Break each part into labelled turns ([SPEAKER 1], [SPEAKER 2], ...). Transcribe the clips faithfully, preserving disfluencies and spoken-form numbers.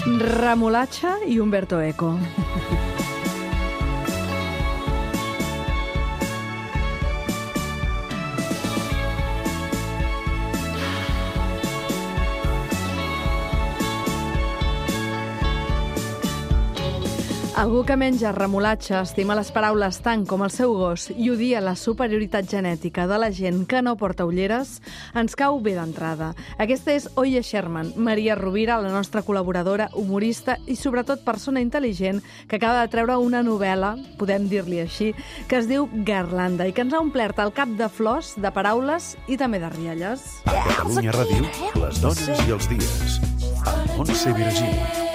[SPEAKER 1] Remolatxa i Umberto Eco. Algú que menja remolatxa estima les paraules tant com el seu gos i odia la superioritat genètica de la gent que no porta ulleres, ens cau bé d'entrada. Aquesta és Oye Sherman, Maria Rovira, la nostra col·laboradora, humorista i sobretot persona intel·ligent que acaba de treure una novel·la, podem dir-li així, que es diu Garlanda i que ens ha omplert el cap de flors, de paraules i també de rialles.
[SPEAKER 2] A Catalunya Ràdio, les dones i els dies. Amb Montse Virgili.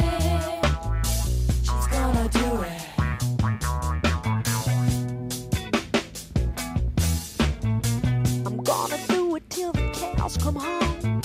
[SPEAKER 3] Come home.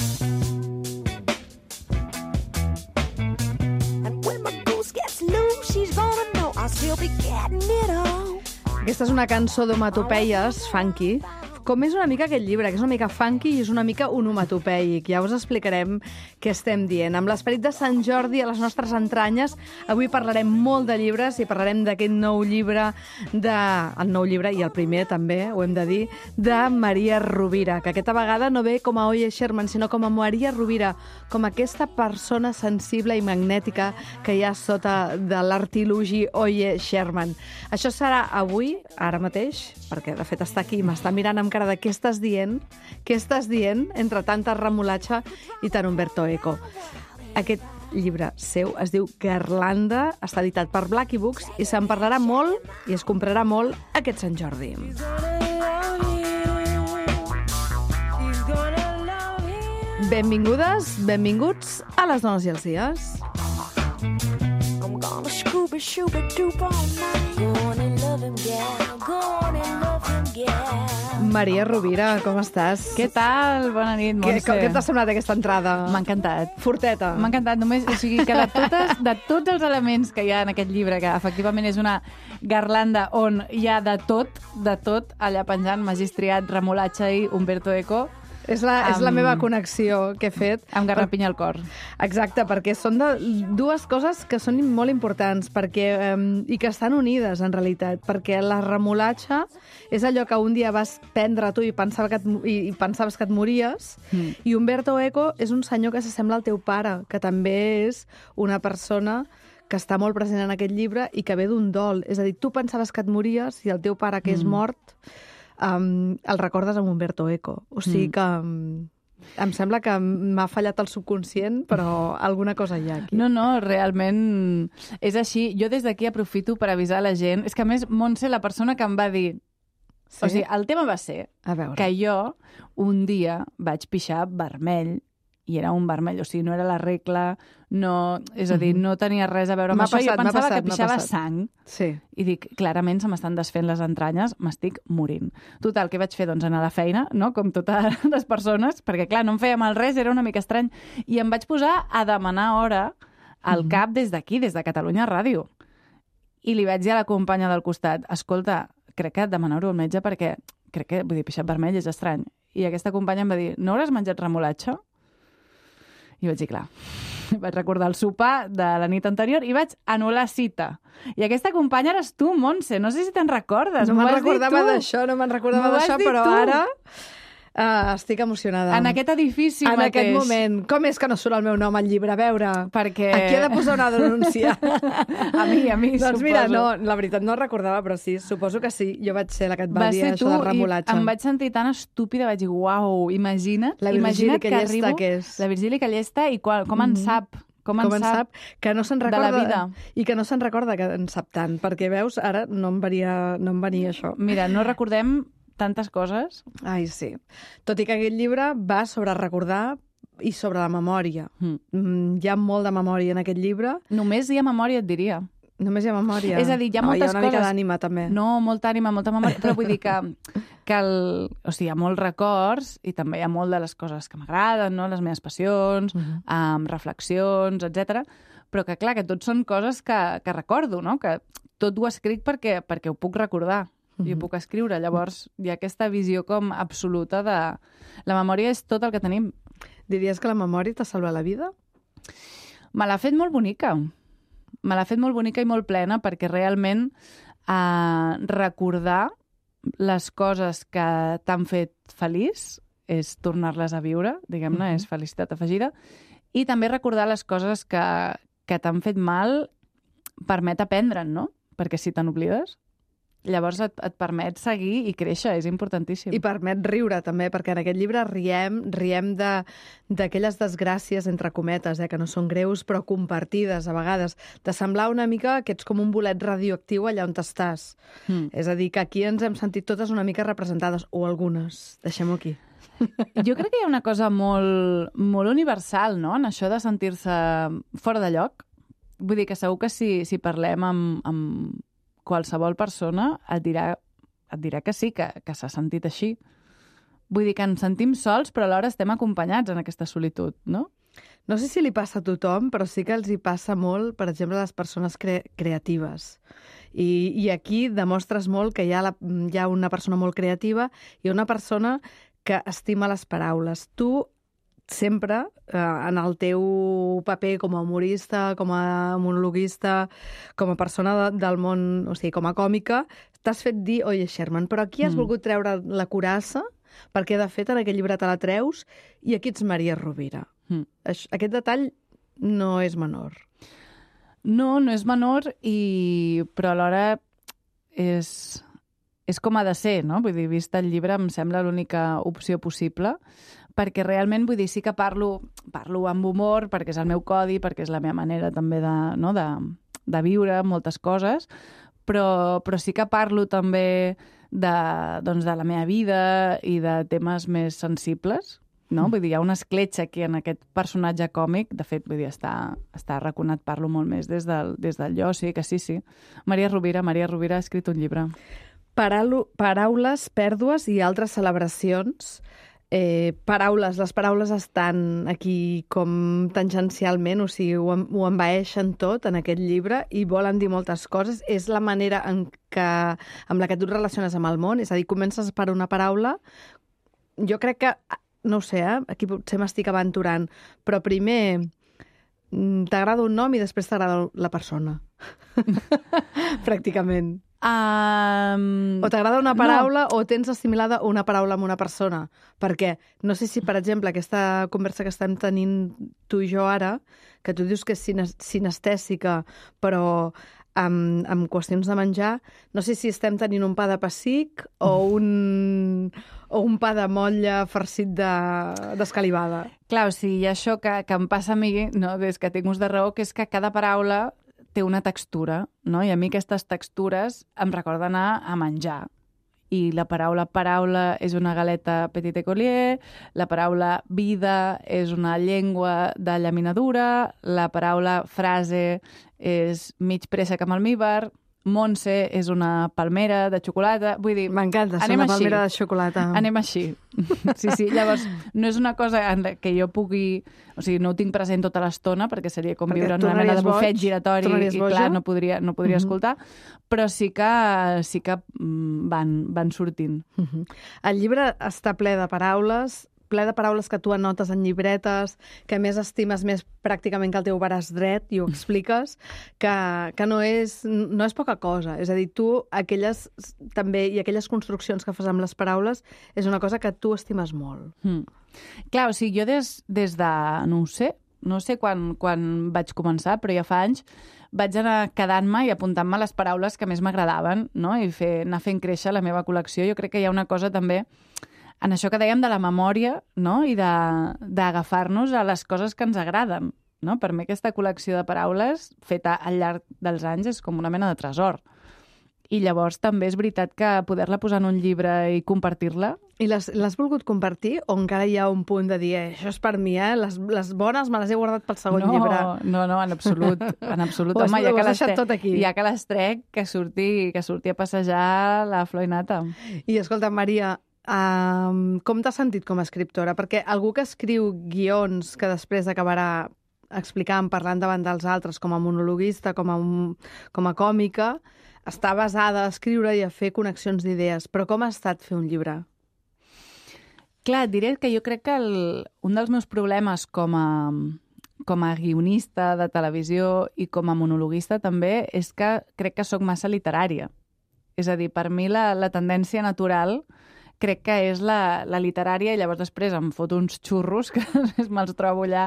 [SPEAKER 3] And when my goose gets loose, she's gonna know I'll still be getting it on.
[SPEAKER 1] Aquesta és una cançó d'onomatopeies, funky, com és una mica aquest llibre, que és una mica funky i és una mica onomatopeic. Ja us explicarem què estem dient. Amb l'esperit de Sant Jordi a les nostres entranyes, avui parlarem molt de llibres i parlarem d'aquest nou llibre, de... el nou llibre, i el primer també, ho hem de dir, de Maria Rovira, que aquesta vegada no ve com a Oye Sherman, sinó com a Maria Rovira, com aquesta persona sensible i magnètica que hi ha sota de l'artilugi Oye Sherman. Això serà avui, ara mateix, perquè de fet està aquí i m'està mirant amb cara de què estàs dient, què estàs dient entre tanta remolatxa i tant Umberto Eco. Aquest llibre seu es diu Garlanda, està editat per Blacky Books i se'n parlarà molt i es comprarà molt aquest Sant Jordi. Benvingudes, benvinguts a les dones i els dies.
[SPEAKER 3] I'm gonna scooby-shooby-doop all night. Gonna love him, gal. Gonna love him, gal.
[SPEAKER 1] Maria Rovira, com estàs?
[SPEAKER 4] Què tal? Bona nit, Montse.
[SPEAKER 1] Què, què t'ha semblat aquesta entrada?
[SPEAKER 4] M'ha encantat.
[SPEAKER 1] Forteta.
[SPEAKER 4] M'ha encantat. Només, o sigui, que de, totes, de tots els elements que hi ha en aquest llibre, que efectivament és una garlanda on hi ha de tot, de tot, allà penjant, Magistriat, Remolatxa i Umberto Eco.
[SPEAKER 1] És la, és la meva connexió que he fet.
[SPEAKER 4] Amb garrapinya al cor.
[SPEAKER 1] Exacte, perquè són de dues coses que són molt importants perquè, um, i que estan unides, en realitat, perquè la remolatxa és allò que un dia vas prendre tu i, pensava que et, i, i pensaves que et mories, mm. i Umberto Eco és un senyor que s'assembla al teu pare, que també és una persona que està molt present en aquest llibre i que ve d'un dol. És a dir, tu pensaves que et mories i el teu pare, que mm. és mort, Um, el recordes amb Umberto Eco. O sigui que um, em sembla que m'ha fallat el subconscient, però alguna cosa hi ha aquí.
[SPEAKER 4] No, no, realment és així. Jo des d'aquí aprofito per avisar la gent. És que, a més, Montse, la persona que em va dir... Sí? O sigui, el tema va ser que jo un dia vaig pixar vermell i era un vermell, o sigui, no era la regla, no, és a dir, no tenia res a veure amb això.
[SPEAKER 1] Passat,
[SPEAKER 4] jo pensava
[SPEAKER 1] passat,
[SPEAKER 4] que pixava sang.
[SPEAKER 1] Sí.
[SPEAKER 4] I dic, clarament se m'estan desfent les entranyes, m'estic morint. Total, què vaig fer? Doncs anar a la feina, no? Com totes les persones, perquè, clar, no em feia mal res, era una mica estrany. I em vaig posar a demanar hora al cap des d'aquí, des de Catalunya Ràdio. I li vaig dir a la companya del costat, escolta, crec que demanar-ho al metge perquè, crec que, vull dir, pixar vermell és estrany. I aquesta companya em va dir, no hauràs menjat remolatxa? I vaig dir, clar, vaig recordar el sopar de la nit anterior i vaig anul·lar cita. I aquesta companya eres tu, Montse, no sé si te'n recordes.
[SPEAKER 1] No me'n recordava d'això, no me'n recordava d'això, però tu. Ara uh, estic emocionada.
[SPEAKER 4] En aquest edifici
[SPEAKER 1] en
[SPEAKER 4] mateix.
[SPEAKER 1] En aquest moment. Com és que no surt el meu nom al llibre? A veure,
[SPEAKER 4] perquè...
[SPEAKER 1] aquí he de posar una denúncia.
[SPEAKER 4] a mi, a mi,
[SPEAKER 1] doncs
[SPEAKER 4] suposo.
[SPEAKER 1] Mira, no, la veritat no recordava, però sí, suposo que sí. Jo vaig ser la que et va, va dir això
[SPEAKER 4] tu,
[SPEAKER 1] de remolatxa.
[SPEAKER 4] Em vaig sentir tan estúpida, vaig dir, uau, imagina't,
[SPEAKER 1] la
[SPEAKER 4] imagina't
[SPEAKER 1] que,
[SPEAKER 4] que
[SPEAKER 1] arribo...
[SPEAKER 4] que és. La Virgili Callesta i qual, com en sap. Com en,
[SPEAKER 1] com en sap, sap que no se'n recorda
[SPEAKER 4] de la vida.
[SPEAKER 1] I que no se'n recorda que en sap tant, perquè veus, ara no em venia, no em venia això.
[SPEAKER 4] Mira, no recordem tantes coses.
[SPEAKER 1] Ai, sí. Tot i que aquest llibre va sobre recordar i sobre la memòria. Mm. Hi ha molt de memòria en aquest llibre.
[SPEAKER 4] Només hi ha memòria, et diria.
[SPEAKER 1] Només hi ha memòria.
[SPEAKER 4] És a dir, hi ha
[SPEAKER 1] no,
[SPEAKER 4] moltes
[SPEAKER 1] coses... Hi ha una
[SPEAKER 4] coses...
[SPEAKER 1] mica d'ànima, també.
[SPEAKER 4] No, molta ànima, molta memòria, però vull dir que, que el... o sigui, hi ha molts records i també hi ha molt de les coses que m'agraden, no? Les meves passions, uh -huh. um, reflexions, etcètera. Però que, clar, que tot són coses que, que recordo, no? Que tot ho escric perquè, perquè ho puc recordar. Uh -huh. I ho puc escriure. Llavors, hi ha aquesta visió com absoluta de... La memòria és tot el que tenim.
[SPEAKER 1] Diries que la memòria t'ha salvat la vida?
[SPEAKER 4] Me l'ha fet molt bonica. Me l'ha fet molt bonica i molt plena perquè realment eh, recordar les coses que t'han fet feliç és tornar-les a viure, diguem-ne, mm-hmm. és felicitat afegida, i també recordar les coses que, que t'han fet mal permet aprendre'n, no? Perquè si te n'oblides, llavors et, et permet seguir i créixer, és importantíssim.
[SPEAKER 1] I permet riure, també, perquè en aquest llibre riem, riem de, d'aquelles desgràcies, entre cometes, eh, que no són greus, però compartides, a vegades, de semblar una mica que ets com un bolet radioactiu allà on estàs. Mm. És a dir, que aquí ens hem sentit totes una mica representades, o algunes. Deixem-ho aquí.
[SPEAKER 4] Jo crec que hi ha una cosa molt, molt universal, no?, en això de sentir-se fora de lloc. Vull dir que segur que si, si parlem amb, amb qualsevol persona et dirà, et dirà que sí, que, que s'ha sentit així. Vull dir que ens sentim sols, però alhora estem acompanyats en aquesta solitud, no?
[SPEAKER 1] No sé si li passa a tothom, però sí que els hi passa molt, per exemple, a les persones cre creatives. I, I aquí demostres molt que hi ha, la, hi ha una persona molt creativa i una persona que estima les paraules. Tu sempre, eh, en el teu paper com a humorista, com a monologuista, com a persona de, del món, o sigui, com a còmica, t'has fet dir, oye, Sherman, però aquí has mm. volgut treure la curassa, perquè de fet en aquest llibre te la treus, i aquí ets Maria Rovira. Mm. Aquest detall no és menor.
[SPEAKER 4] No, no és menor, i... però alhora és... és com ha de ser, no? Vull dir, vist el llibre em sembla l'única opció possible, perquè realment, vull dir, sí que parlo, parlo amb humor, perquè és el meu codi, perquè és la meva manera també de, no, de, de viure moltes coses, però, però sí que parlo també de, doncs, de la meva vida i de temes més sensibles, no? Vull dir, hi ha una escletxa aquí en aquest personatge còmic, de fet, vull dir, està, està arraconat, parlo molt més des del, des del jo, sí que sí, sí. Maria Rovira, Maria Rovira ha escrit un llibre.
[SPEAKER 1] Paraules, paraules, pèrdues i altres celebracions. Eh, paraules, les paraules estan aquí com tangencialment, o sigui, ho, ho envaeixen tot en aquest llibre i volen dir moltes coses. És la manera en què, amb la que tu et relaciones amb el món, és a dir, comences per una paraula. Jo crec que, no ho sé, eh? Aquí potser m'estic aventurant, però primer t'agrada un nom i després t'agrada la persona. Pràcticament.
[SPEAKER 4] Um...
[SPEAKER 1] O t'agrada una paraula no. o tens assimilada una paraula amb una persona. Perquè no sé si, per exemple, aquesta conversa que estem tenint tu i jo ara, que tu dius que és sinestèsica, però amb, amb qüestions de menjar, no sé si estem tenint un pa de pessic o un, o un pa de motlla farcit d'escalivada. De,
[SPEAKER 4] Clar, o sigui, això que, que em passa a mi, no, des que tinc ús de raó, que és que cada paraula té una textura, no? I a mi aquestes textures em recorden a, a menjar. I la paraula paraula és una galeta petit écolier, la paraula vida és una llengua de llaminadura, la paraula frase és mig préssec amb almíbar, Montse és una palmera de xocolata, vull dir...
[SPEAKER 1] M'encanta, ser una palmera de xocolata.
[SPEAKER 4] Anem així. Sí, sí, llavors no és una cosa en que jo pugui... O sigui, no ho tinc present tota l'estona perquè seria com perquè viure en una mena de bufet boig, giratori i clar, no podria, no podria mm-hmm. escoltar, però sí que, sí que van, van sortint.
[SPEAKER 1] Mm-hmm. El llibre està ple de paraules, ple de paraules que tu anotes en llibretes, que més estimes més pràcticament que el teu baràs dret, i ho expliques, que, que no, és, no és poca cosa. És a dir, tu, aquelles també, i aquelles construccions que fas amb les paraules, és una cosa que tu estimes molt.
[SPEAKER 4] Mm. Clar, o sigui, jo des, des de, no ho sé, no sé quan, quan vaig començar, però ja fa anys, vaig anar quedant-me i apuntant-me les paraules que més m'agradaven, no? I fer, anar fent créixer la meva col·lecció. Jo crec que hi ha una cosa també en això que dèiem de la memòria, no? I d'agafar-nos a les coses que ens agraden, no? Per mi aquesta col·lecció de paraules feta al llarg dels anys és com una mena de tresor. I llavors també és veritat que poder-la posar en un llibre i compartir-la...
[SPEAKER 1] I l'has volgut compartir o encara hi ha un punt de dir eh, això és per mi, eh? Les, les bones me les he guardat pel segon
[SPEAKER 4] no,
[SPEAKER 1] llibre?
[SPEAKER 4] No, no, en absolut. En absolut.
[SPEAKER 1] Ho has,
[SPEAKER 4] Home, ja
[SPEAKER 1] ho
[SPEAKER 4] que
[SPEAKER 1] has deixat tot aquí.
[SPEAKER 4] Ja que les trec, que surti, que surti a passejar la flor i nata.
[SPEAKER 1] I escolta, Maria, Um, com t'has sentit com a escriptora? Perquè algú que escriu guions que després acabarà explicant, parlant davant dels altres, com a monologuista, com a, com a còmica, està basada a escriure i a fer connexions d'idees. Però com ha estat fer un llibre?
[SPEAKER 4] Clar, et diré que jo crec que el, un dels meus problemes com a, com a guionista de televisió i com a monologuista també, és que crec que sóc massa literària. És a dir, per mi la, la tendència natural crec que és la, la literària, i llavors després em foto uns xurros que me'ls trobo allà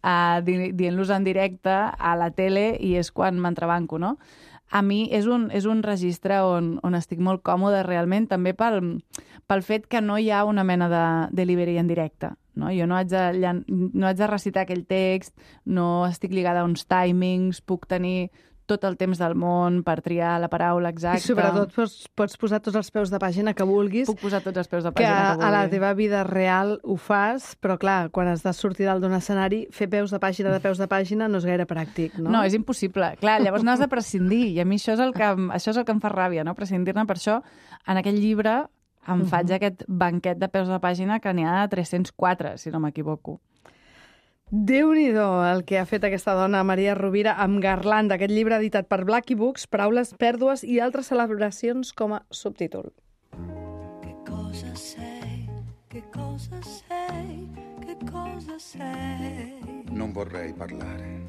[SPEAKER 4] uh, di, dient-los en directe a la tele i és quan m'entrebanco, no? A mi és un, és un registre on, on estic molt còmode realment, també pel, pel fet que no hi ha una mena de delivery en directe. No? Jo no haig, de, no haig de recitar aquell text, no estic lligada a uns timings, puc tenir tot el temps del món per triar la paraula exacta.
[SPEAKER 1] I sobretot pots, pots posar tots els peus de pàgina que vulguis.
[SPEAKER 4] Puc posar tots els peus de
[SPEAKER 1] que
[SPEAKER 4] pàgina que vulgui.
[SPEAKER 1] A la teva vida real ho fas, però clar, quan has de sortir dalt d'un escenari, fer peus de pàgina de peus de pàgina no és gaire pràctic, no?
[SPEAKER 4] No, és impossible. Clar, llavors n'has de prescindir, i a mi això és el que, això és el que em fa ràbia, no? Prescindir-ne. Per això, en aquell llibre, em uh-huh. faig aquest banquet de peus de pàgina que n'hi ha tres-cents quatre, si no m'equivoco.
[SPEAKER 1] Déu-n'hi-do el que ha fet aquesta dona, Maria Rovira, amb Garland, aquest llibre editat per Blackie Books, Paraules, pèrdues i altres celebracions com a subtítol.
[SPEAKER 3] Che cosa sei, che cosa sei, che cosa sei,
[SPEAKER 5] Non vorrei parlare,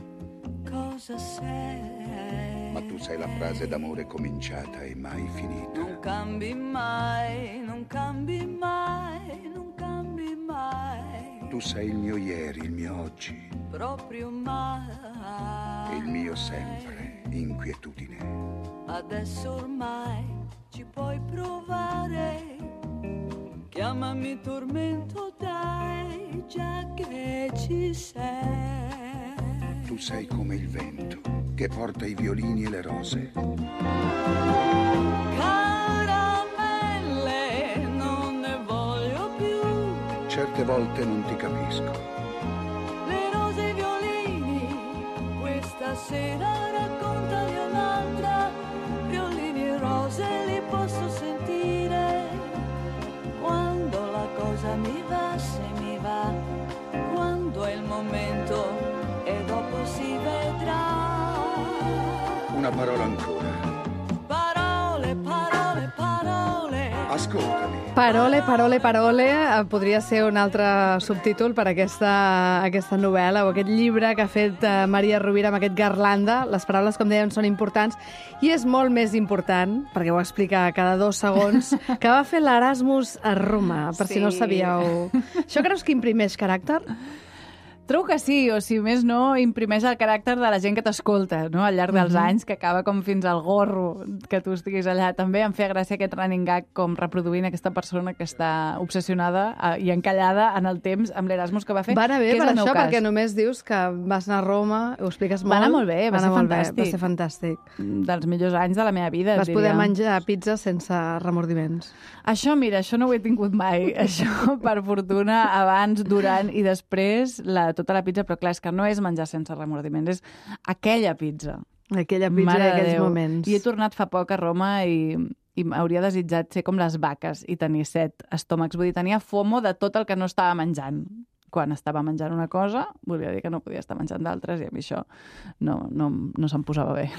[SPEAKER 3] cosa sei.
[SPEAKER 5] ma tu sei la frase d'amore cominciata e mai finita.
[SPEAKER 3] Non cambi mai, non cambi mai, non cambi mai,
[SPEAKER 5] Tu sei il mio ieri, il mio oggi
[SPEAKER 3] proprio mai.
[SPEAKER 5] e il mio sempre, inquietudine.
[SPEAKER 3] Adesso ormai ci puoi provare, chiamami tormento dai, già che ci sei.
[SPEAKER 5] Tu sei come il vento che porta i violini e le rose.
[SPEAKER 3] Caramelle, non ne voglio più,
[SPEAKER 5] Certe volte non ti capisco,
[SPEAKER 3] le rose e i violini, questa sera raccontali un'altra, violini e rose li posso sentire, quando la cosa mi va, se mi va, quando è il momento e dopo si vedrà.
[SPEAKER 5] una parola ancora.
[SPEAKER 3] Parole, parole, parole.
[SPEAKER 5] Ascoltami.
[SPEAKER 1] Parole, parole, parole, eh, podria ser un altre subtítol per aquesta, aquesta novel·la o aquest llibre que ha fet eh, Maria Rovira amb aquest Garlanda. Les paraules, com dèiem, són importants i és molt més important, perquè ho explica cada dos segons, que va fer l'Erasmus a Roma, per si no ho
[SPEAKER 4] Sí.
[SPEAKER 1] sabíeu. Això creus que imprimeix caràcter?
[SPEAKER 4] Trobo que sí, o si més no, imprimeix el caràcter de la gent que t'escolta, no? Al llarg dels
[SPEAKER 1] Mhm.
[SPEAKER 4] anys, que acaba com fins al gorro que tu estiguis allà. També em feia gràcia aquest running gag com reproduint aquesta persona que està obsessionada eh, i encallada en el temps amb l'Erasmus que va fer.
[SPEAKER 1] Va anar bé
[SPEAKER 4] que és
[SPEAKER 1] per
[SPEAKER 4] el meu
[SPEAKER 1] això,
[SPEAKER 4] cas.
[SPEAKER 1] perquè només dius que vas anar a Roma, ho expliques molt.
[SPEAKER 4] Va anar molt bé, va ser
[SPEAKER 1] anar molt bé,
[SPEAKER 4] fantàstic.
[SPEAKER 1] Va ser fantàstic.
[SPEAKER 4] Dels millors anys de la meva vida,
[SPEAKER 1] Vas
[SPEAKER 4] diria.
[SPEAKER 1] poder menjar pizza sense remordiments.
[SPEAKER 4] Això, mira, això no ho he tingut mai. Això, per fortuna, abans, durant i després, la, tota la pizza, però clar, és que no és menjar sense remordiments, és aquella pizza.
[SPEAKER 1] Aquella pizza
[SPEAKER 4] Mare
[SPEAKER 1] i
[SPEAKER 4] de
[SPEAKER 1] aquells
[SPEAKER 4] Déu.
[SPEAKER 1] moments.
[SPEAKER 4] I he tornat fa poc a Roma i, i hauria desitjat ser com les vaques i tenir set estómacs. Vull dir, tenia fomo de tot el que no estava menjant. Quan estava menjant una cosa, volia dir que no podia estar menjant d'altres i a mi això no, no, no se'm posava bé.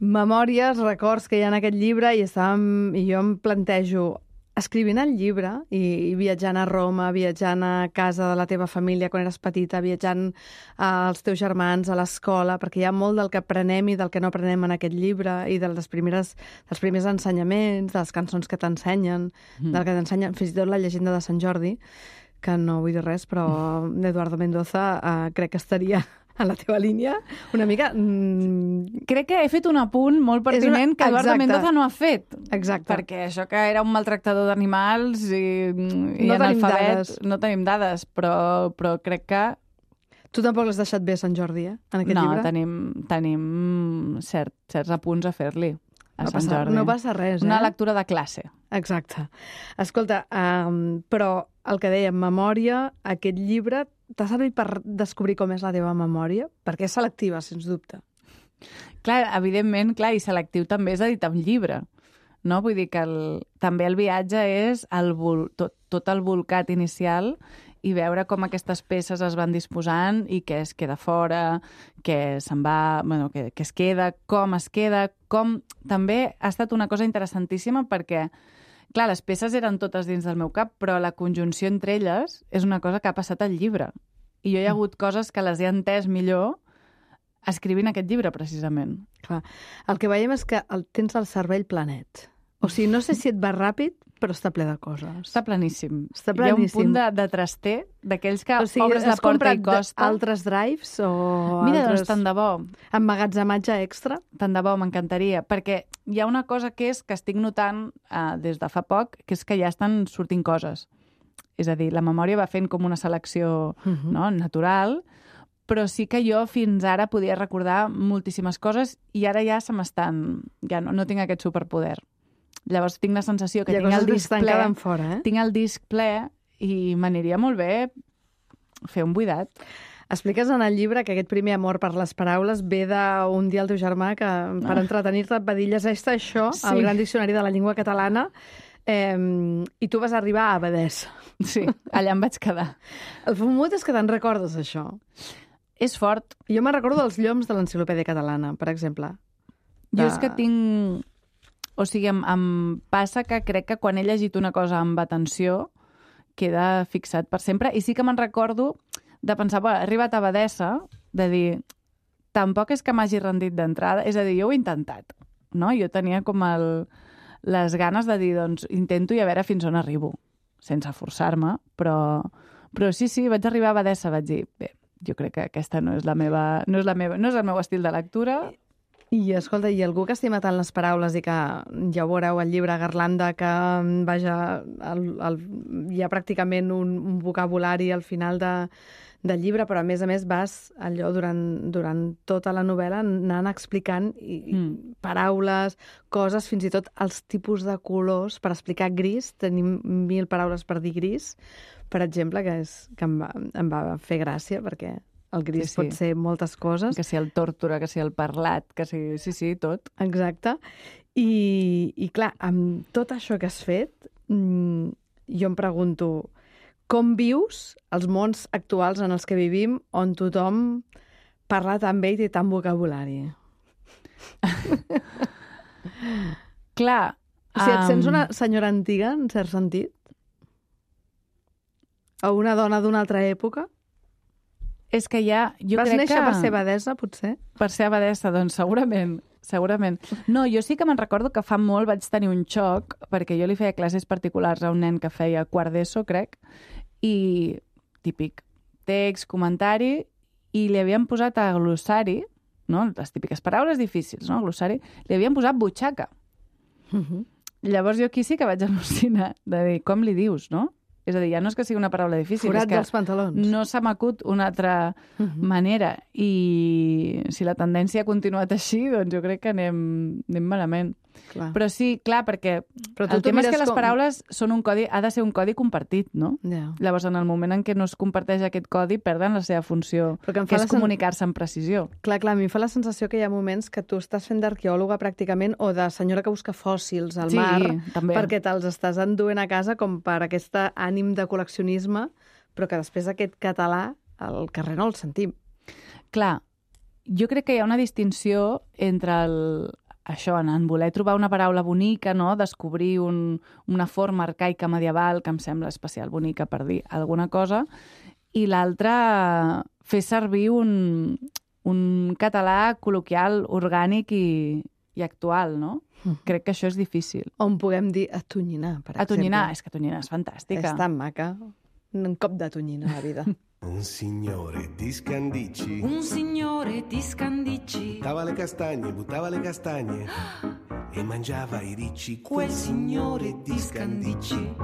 [SPEAKER 1] Memòries, records que hi ha en aquest llibre i, estàvem, i jo em plantejo escrivint el llibre i, i viatjant a Roma, viatjant a casa de la teva família quan eres petita, viatjant als teus germans, a l'escola, perquè hi ha molt del que aprenem i del que no aprenem en aquest llibre i de les primeres, dels primers ensenyaments, de les cançons que t'ensenyen, mm. del que t'ensenyen, fins i tot la llegenda de Sant Jordi, que no vull dir res, però d'Eduardo Mendoza eh, crec que estaria a la teva línia, una mica... Mm,
[SPEAKER 4] Crec que he fet un apunt molt pertinent
[SPEAKER 1] una-
[SPEAKER 4] que Eduardo
[SPEAKER 1] exacte.
[SPEAKER 4] Mendoza no ha fet.
[SPEAKER 1] exacte.
[SPEAKER 4] Perquè això que era un maltractador d'animals i, i
[SPEAKER 1] No tenim
[SPEAKER 4] analfabet,
[SPEAKER 1] dades.
[SPEAKER 4] no tenim dades, però, però crec que
[SPEAKER 1] Tu tampoc l'has deixat bé, Sant Jordi, eh? En aquest
[SPEAKER 4] no,
[SPEAKER 1] llibre?
[SPEAKER 4] tenim, tenim cert, certs apunts a fer-li a
[SPEAKER 1] no
[SPEAKER 4] Sant
[SPEAKER 1] passa,
[SPEAKER 4] Jordi.
[SPEAKER 1] no passa res, eh?
[SPEAKER 4] Una lectura de classe.
[SPEAKER 1] Exacte. Escolta, um, però el que dèiem, memòria, aquest llibre t'ha servit per descobrir com és la teva memòria? Perquè és selectiva, sens dubte.
[SPEAKER 4] Clar, evidentment, clar, i selectiu també és editar un llibre, no? Vull dir que el, també el viatge és el, vol- tot, tot el volcat inicial i veure com aquestes peces es van disposant i què es queda fora, què se'n va, bueno, què, què es queda, com es queda, com... També ha estat una cosa interessantíssima perquè, clar, les peces eren totes dins del meu cap, però la conjunció entre elles és una cosa que ha passat al llibre. I jo hi ha hagut coses que les he entès millor escrivint aquest llibre, precisament.
[SPEAKER 1] Clar. El que veiem és que el, tens el cervell planet. O sigui, no sé si et va ràpid, però està ple de coses.
[SPEAKER 4] Està planíssim.
[SPEAKER 1] Està
[SPEAKER 4] Hi ha un
[SPEAKER 1] planíssim.
[SPEAKER 4] punt de, de traster, d'aquells que
[SPEAKER 1] O sigui,
[SPEAKER 4] obres la
[SPEAKER 1] has
[SPEAKER 4] porta i
[SPEAKER 1] comprat
[SPEAKER 4] costa.
[SPEAKER 1] altres drives o
[SPEAKER 4] Mira,
[SPEAKER 1] altres
[SPEAKER 4] doncs tant de bo.
[SPEAKER 1] emmagatzematge extra?
[SPEAKER 4] Tant de bo, m'encantaria. Perquè hi ha una cosa que és que estic notant eh, des de fa poc, que és que ja estan sortint coses. És a dir, la memòria va fent com una selecció
[SPEAKER 1] Mhm.
[SPEAKER 4] no, natural, però sí que jo fins ara podia recordar moltíssimes coses i ara ja se m'estan... Ja no, no tinc aquest superpoder. Llavors tinc la sensació que
[SPEAKER 1] Hi ha
[SPEAKER 4] tinc el
[SPEAKER 1] coses que
[SPEAKER 4] disc
[SPEAKER 1] estan
[SPEAKER 4] ple,
[SPEAKER 1] quedant fora, eh?
[SPEAKER 4] tinc el disc ple i m'aniria molt bé fer un buidat.
[SPEAKER 1] Expliques en el llibre que aquest primer amor per les paraules ve d'un dia al teu germà que per entretenir-te et va dir llegeix-te això,
[SPEAKER 4] Sí.
[SPEAKER 1] al Gran Diccionari de la Llengua Catalana, eh, i tu vas arribar a abadessa.
[SPEAKER 4] Sí, allà em vaig quedar.
[SPEAKER 1] El fumut és que te'n recordes, això.
[SPEAKER 4] És fort.
[SPEAKER 1] Jo me'n recordo dels lloms de l'Enciclopèdia Catalana, per exemple.
[SPEAKER 4] Jo
[SPEAKER 1] De-
[SPEAKER 4] és que tinc... O sigui, em, em passa que crec que quan he llegit una cosa amb atenció queda fixat per sempre. I sí que me'n recordo de pensar, bueno, he arribat a abadessa, de dir, tampoc és que m'hagi rendit d'entrada, és a dir, jo ho he intentat, no? Jo tenia com el, les ganes de dir, doncs, intento i a veure fins on arribo, sense forçar-me, però, però sí, sí, vaig arribar a abadessa, vaig dir, bé, jo crec que aquesta no és la meva, no és la meva, no és el meu estil de lectura.
[SPEAKER 1] I, escolta, i algú que estima tant les paraules i que ja ho veureu al llibre Garlanda, que, vaja, el, el, hi ha pràcticament un, un vocabulari al final de, del llibre, però a més a més vas allò durant, durant tota la novel·la anant explicant i,
[SPEAKER 4] Mm.
[SPEAKER 1] paraules, coses, fins i tot els tipus de colors per explicar gris. Tenim mil paraules per dir gris, per exemple, que, és, que em, va, em va fer gràcia, perquè el gris
[SPEAKER 4] Sí, sí.
[SPEAKER 1] pot ser moltes coses.
[SPEAKER 4] Que si el tòrtora, que si el parlat, que si... Sí, sí, tot.
[SPEAKER 1] Exacte. I, i clar, amb tot això que has fet, mm, jo em pregunto, com vius els mons actuals en els que vivim on tothom parla tan bé i té tant vocabulari?
[SPEAKER 4] Clar...
[SPEAKER 1] O sigui, et sents
[SPEAKER 4] um,
[SPEAKER 1] una senyora antiga, en cert sentit? O una dona d'una altra època?
[SPEAKER 4] És que ja... Jo
[SPEAKER 1] Vas
[SPEAKER 4] crec
[SPEAKER 1] néixer
[SPEAKER 4] que...
[SPEAKER 1] per ser abadessa, potser?
[SPEAKER 4] Per ser abadessa, doncs segurament, segurament. No, jo sí que me'n recordo que fa molt vaig tenir un xoc, perquè jo li feia classes particulars a un nen que feia quart d'ESO, crec, i típic text, comentari, i li havien posat a glossari, no? Les típiques paraules difícils, no? Glossari, li havien posat butxaca.
[SPEAKER 1] Uh -huh.
[SPEAKER 4] Llavors jo aquí sí que vaig al·lucinar de dir, com li dius, no? És a dir, ja no és que sigui una paraula difícil,
[SPEAKER 1] Forat
[SPEAKER 4] és que
[SPEAKER 1] dels pantalons.
[SPEAKER 4] no se m'acut una altra
[SPEAKER 1] Uh -huh.
[SPEAKER 4] manera. I si la tendència ha continuat així, doncs jo crec que anem, anem malament.
[SPEAKER 1] Clar.
[SPEAKER 4] Però sí, clar, perquè
[SPEAKER 1] Però tu
[SPEAKER 4] el
[SPEAKER 1] t'ho
[SPEAKER 4] tema és que
[SPEAKER 1] mires
[SPEAKER 4] les
[SPEAKER 1] com-
[SPEAKER 4] paraules són un codi, ha de ser un codi compartit, no?
[SPEAKER 1] Ja.
[SPEAKER 4] Llavors, en el moment en què no es comparteix aquest codi, perden la seva funció,
[SPEAKER 1] Però que em fa
[SPEAKER 4] que és
[SPEAKER 1] la sen-
[SPEAKER 4] comunicar-se amb precisió.
[SPEAKER 1] Clar, clar, a mi em fa la sensació que hi ha moments que tu estàs fent d'arqueòloga pràcticament o de senyora que busca fòssils al
[SPEAKER 4] Sí,
[SPEAKER 1] mar,
[SPEAKER 4] també.
[SPEAKER 1] perquè te'ls estàs enduent a casa com per aquest ànim de col·leccionisme, però que després aquest català al carrer no el sentim.
[SPEAKER 4] Clar, jo crec que hi ha una distinció entre el, això, en, en voler trobar una paraula bonica, no? Descobrir un, una forma arcaica medieval que em sembla especial bonica per dir alguna cosa, i l'altra, fer servir un, un català col·loquial, orgànic i, i actual, no?
[SPEAKER 1] Mm.
[SPEAKER 4] Crec que això és difícil.
[SPEAKER 1] On puguem dir atonyinar, per
[SPEAKER 4] Atonyinar,
[SPEAKER 1] exemple.
[SPEAKER 4] és que atonyinar és fantàstica.
[SPEAKER 1] És tan maca. Un cop de tonyina a la vida.
[SPEAKER 6] Un signore di Scandicci
[SPEAKER 3] Un signore di Scandicci,
[SPEAKER 6] buttava le castagne, buttava le castagne e mangiava i ricci.
[SPEAKER 3] quel signore di Scandicci,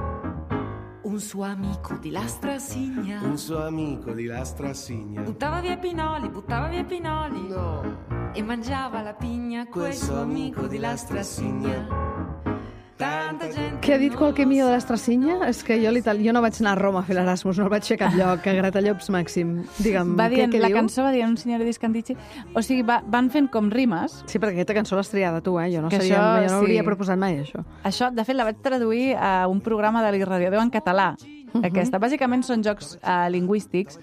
[SPEAKER 3] un suo amico di Lastrasigna,
[SPEAKER 6] Un suo amico di la Strassigna.
[SPEAKER 3] buttava via pinoli, buttava via pinoli
[SPEAKER 6] No,
[SPEAKER 3] e mangiava la pigna, quel suo amico di Lastrasigna. Tanta gente.
[SPEAKER 1] Què ha dit
[SPEAKER 3] non
[SPEAKER 1] qualque
[SPEAKER 3] lo
[SPEAKER 1] mio de
[SPEAKER 3] sa.
[SPEAKER 1] l'Estrassinya? És que jo, l'Itali... jo no vaig anar a Roma a fer l'Erasmus, no el vaig fer a cap lloc, a Gratallops màxim. Digue'm,
[SPEAKER 4] Va
[SPEAKER 1] què,
[SPEAKER 4] dient,
[SPEAKER 1] què
[SPEAKER 4] la
[SPEAKER 1] diu?
[SPEAKER 4] cançó va dient un senyor de Scandicci. O sigui, va, van fent com rimes.
[SPEAKER 1] Sí, perquè aquesta cançó l'has triada tu, eh? Jo no,
[SPEAKER 4] Que
[SPEAKER 1] seria,
[SPEAKER 4] això,
[SPEAKER 1] jo no
[SPEAKER 4] sí.
[SPEAKER 1] hauria proposat mai això.
[SPEAKER 4] Això, de fet, la vaig traduir a un programa de l'Irradiador en català. Uh-huh. Aquesta, bàsicament, són jocs uh, lingüístics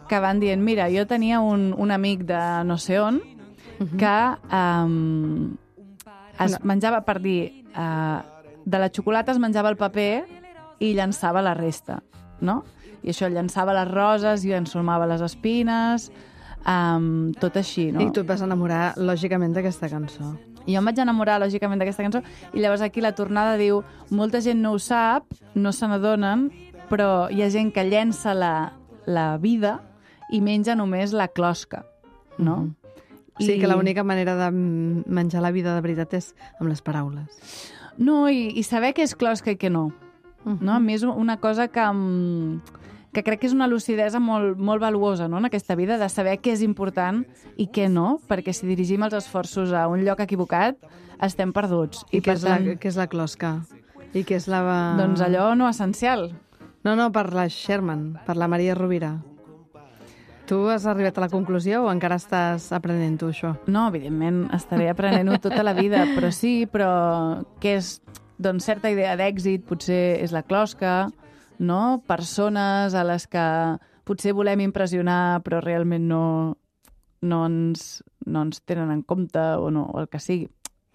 [SPEAKER 4] que van dient, mira, jo tenia un, un amic de no sé on uh-huh. que um, es menjava, per dir, uh, de la xocolata es menjava el paper i llançava la resta, no? I això llançava les roses, jo ensumava les espines, um, tot així, no?
[SPEAKER 1] I tu et vas enamorar, lògicament, d'aquesta cançó.
[SPEAKER 4] I jo em vaig enamorar, lògicament, d'aquesta cançó, i llavors aquí la tornada diu, molta gent no ho sap, no se n'adonen, però hi ha gent que llença la, la vida i menja només la closca, no?
[SPEAKER 1] Mm-hmm. O sigui que l'única manera de menjar la vida de veritat és amb les paraules.
[SPEAKER 4] No, i, i saber què és closca i què no. Uh-huh. No? A mi és una cosa que, que crec que és una lucidesa molt, molt valuosa, no? En aquesta vida, de saber què és important i què no, perquè si dirigim els esforços a un lloc equivocat, estem perduts.
[SPEAKER 1] I, I què, és tant... la, què és la closca? I què és la...
[SPEAKER 4] Doncs allò no essencial.
[SPEAKER 1] No, no, per la Sherman, per la Maria Rovira. Tu has arribat a la conclusió o encara estàs aprenent tu això?
[SPEAKER 4] No, evidentment, estaré aprenent-ho tota la vida, però sí, però que és, doncs, certa idea d'èxit, potser és la closca, no? Persones a les que potser volem impressionar, però realment no, no, ens, no ens tenen en compte o, no, o el que sigui.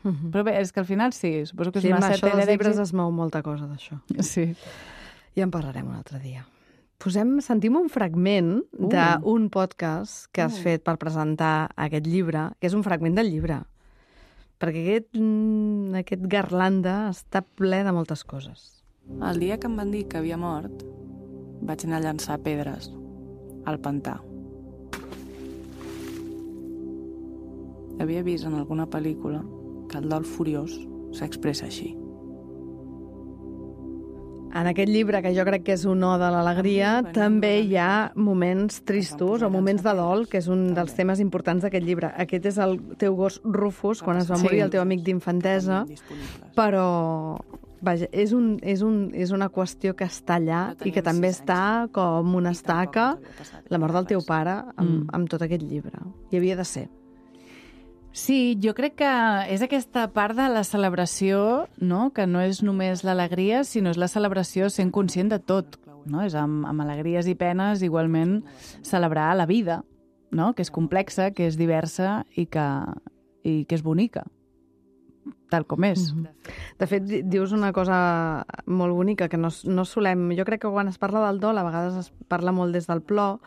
[SPEAKER 4] Uh-huh. Però bé, és que al final sí, suposo que és
[SPEAKER 1] sí,
[SPEAKER 4] una certa idea d'èxit. Sí,
[SPEAKER 1] això dels llibres es mou molta cosa d'això.
[SPEAKER 4] Sí.
[SPEAKER 1] Ja en parlarem un altre dia. Posem, sentim un fragment uh. d'un podcast que has uh. fet per presentar aquest llibre, que és un fragment del llibre. Perquè aquest, aquest garlanda està ple de moltes coses.
[SPEAKER 7] El dia que em van dir que havia mort, vaig anar a llançar pedres al pantà. Havia vist en alguna pel·lícula que el dol furiós s'expressa així.
[SPEAKER 1] En aquest llibre, que jo crec que és un ode a l'alegria, també hi ha moments tristos o moments de dol, que és un dels temes importants d'aquest llibre. Aquest és el teu gos Rufus, quan es va morir, sí. El teu amic d'infantesa, però vaja, és, un, és, un, és una qüestió que està allà i que també està com una estaca, la mort del teu pare, amb, mm. amb tot aquest llibre. I havia de ser.
[SPEAKER 4] Sí, jo crec que és aquesta part de la celebració, no? Que no és només l'alegria, sinó és la celebració sent conscient de tot. No? És amb, amb alegries i penes igualment celebrar la vida, no? Que és complexa, que és diversa i que, i que és bonica, tal com és.
[SPEAKER 1] Mm-hmm. De fet, dius una cosa molt bonica, que no, no solem... Jo crec que quan es parla del dol, a vegades es parla molt des del plor,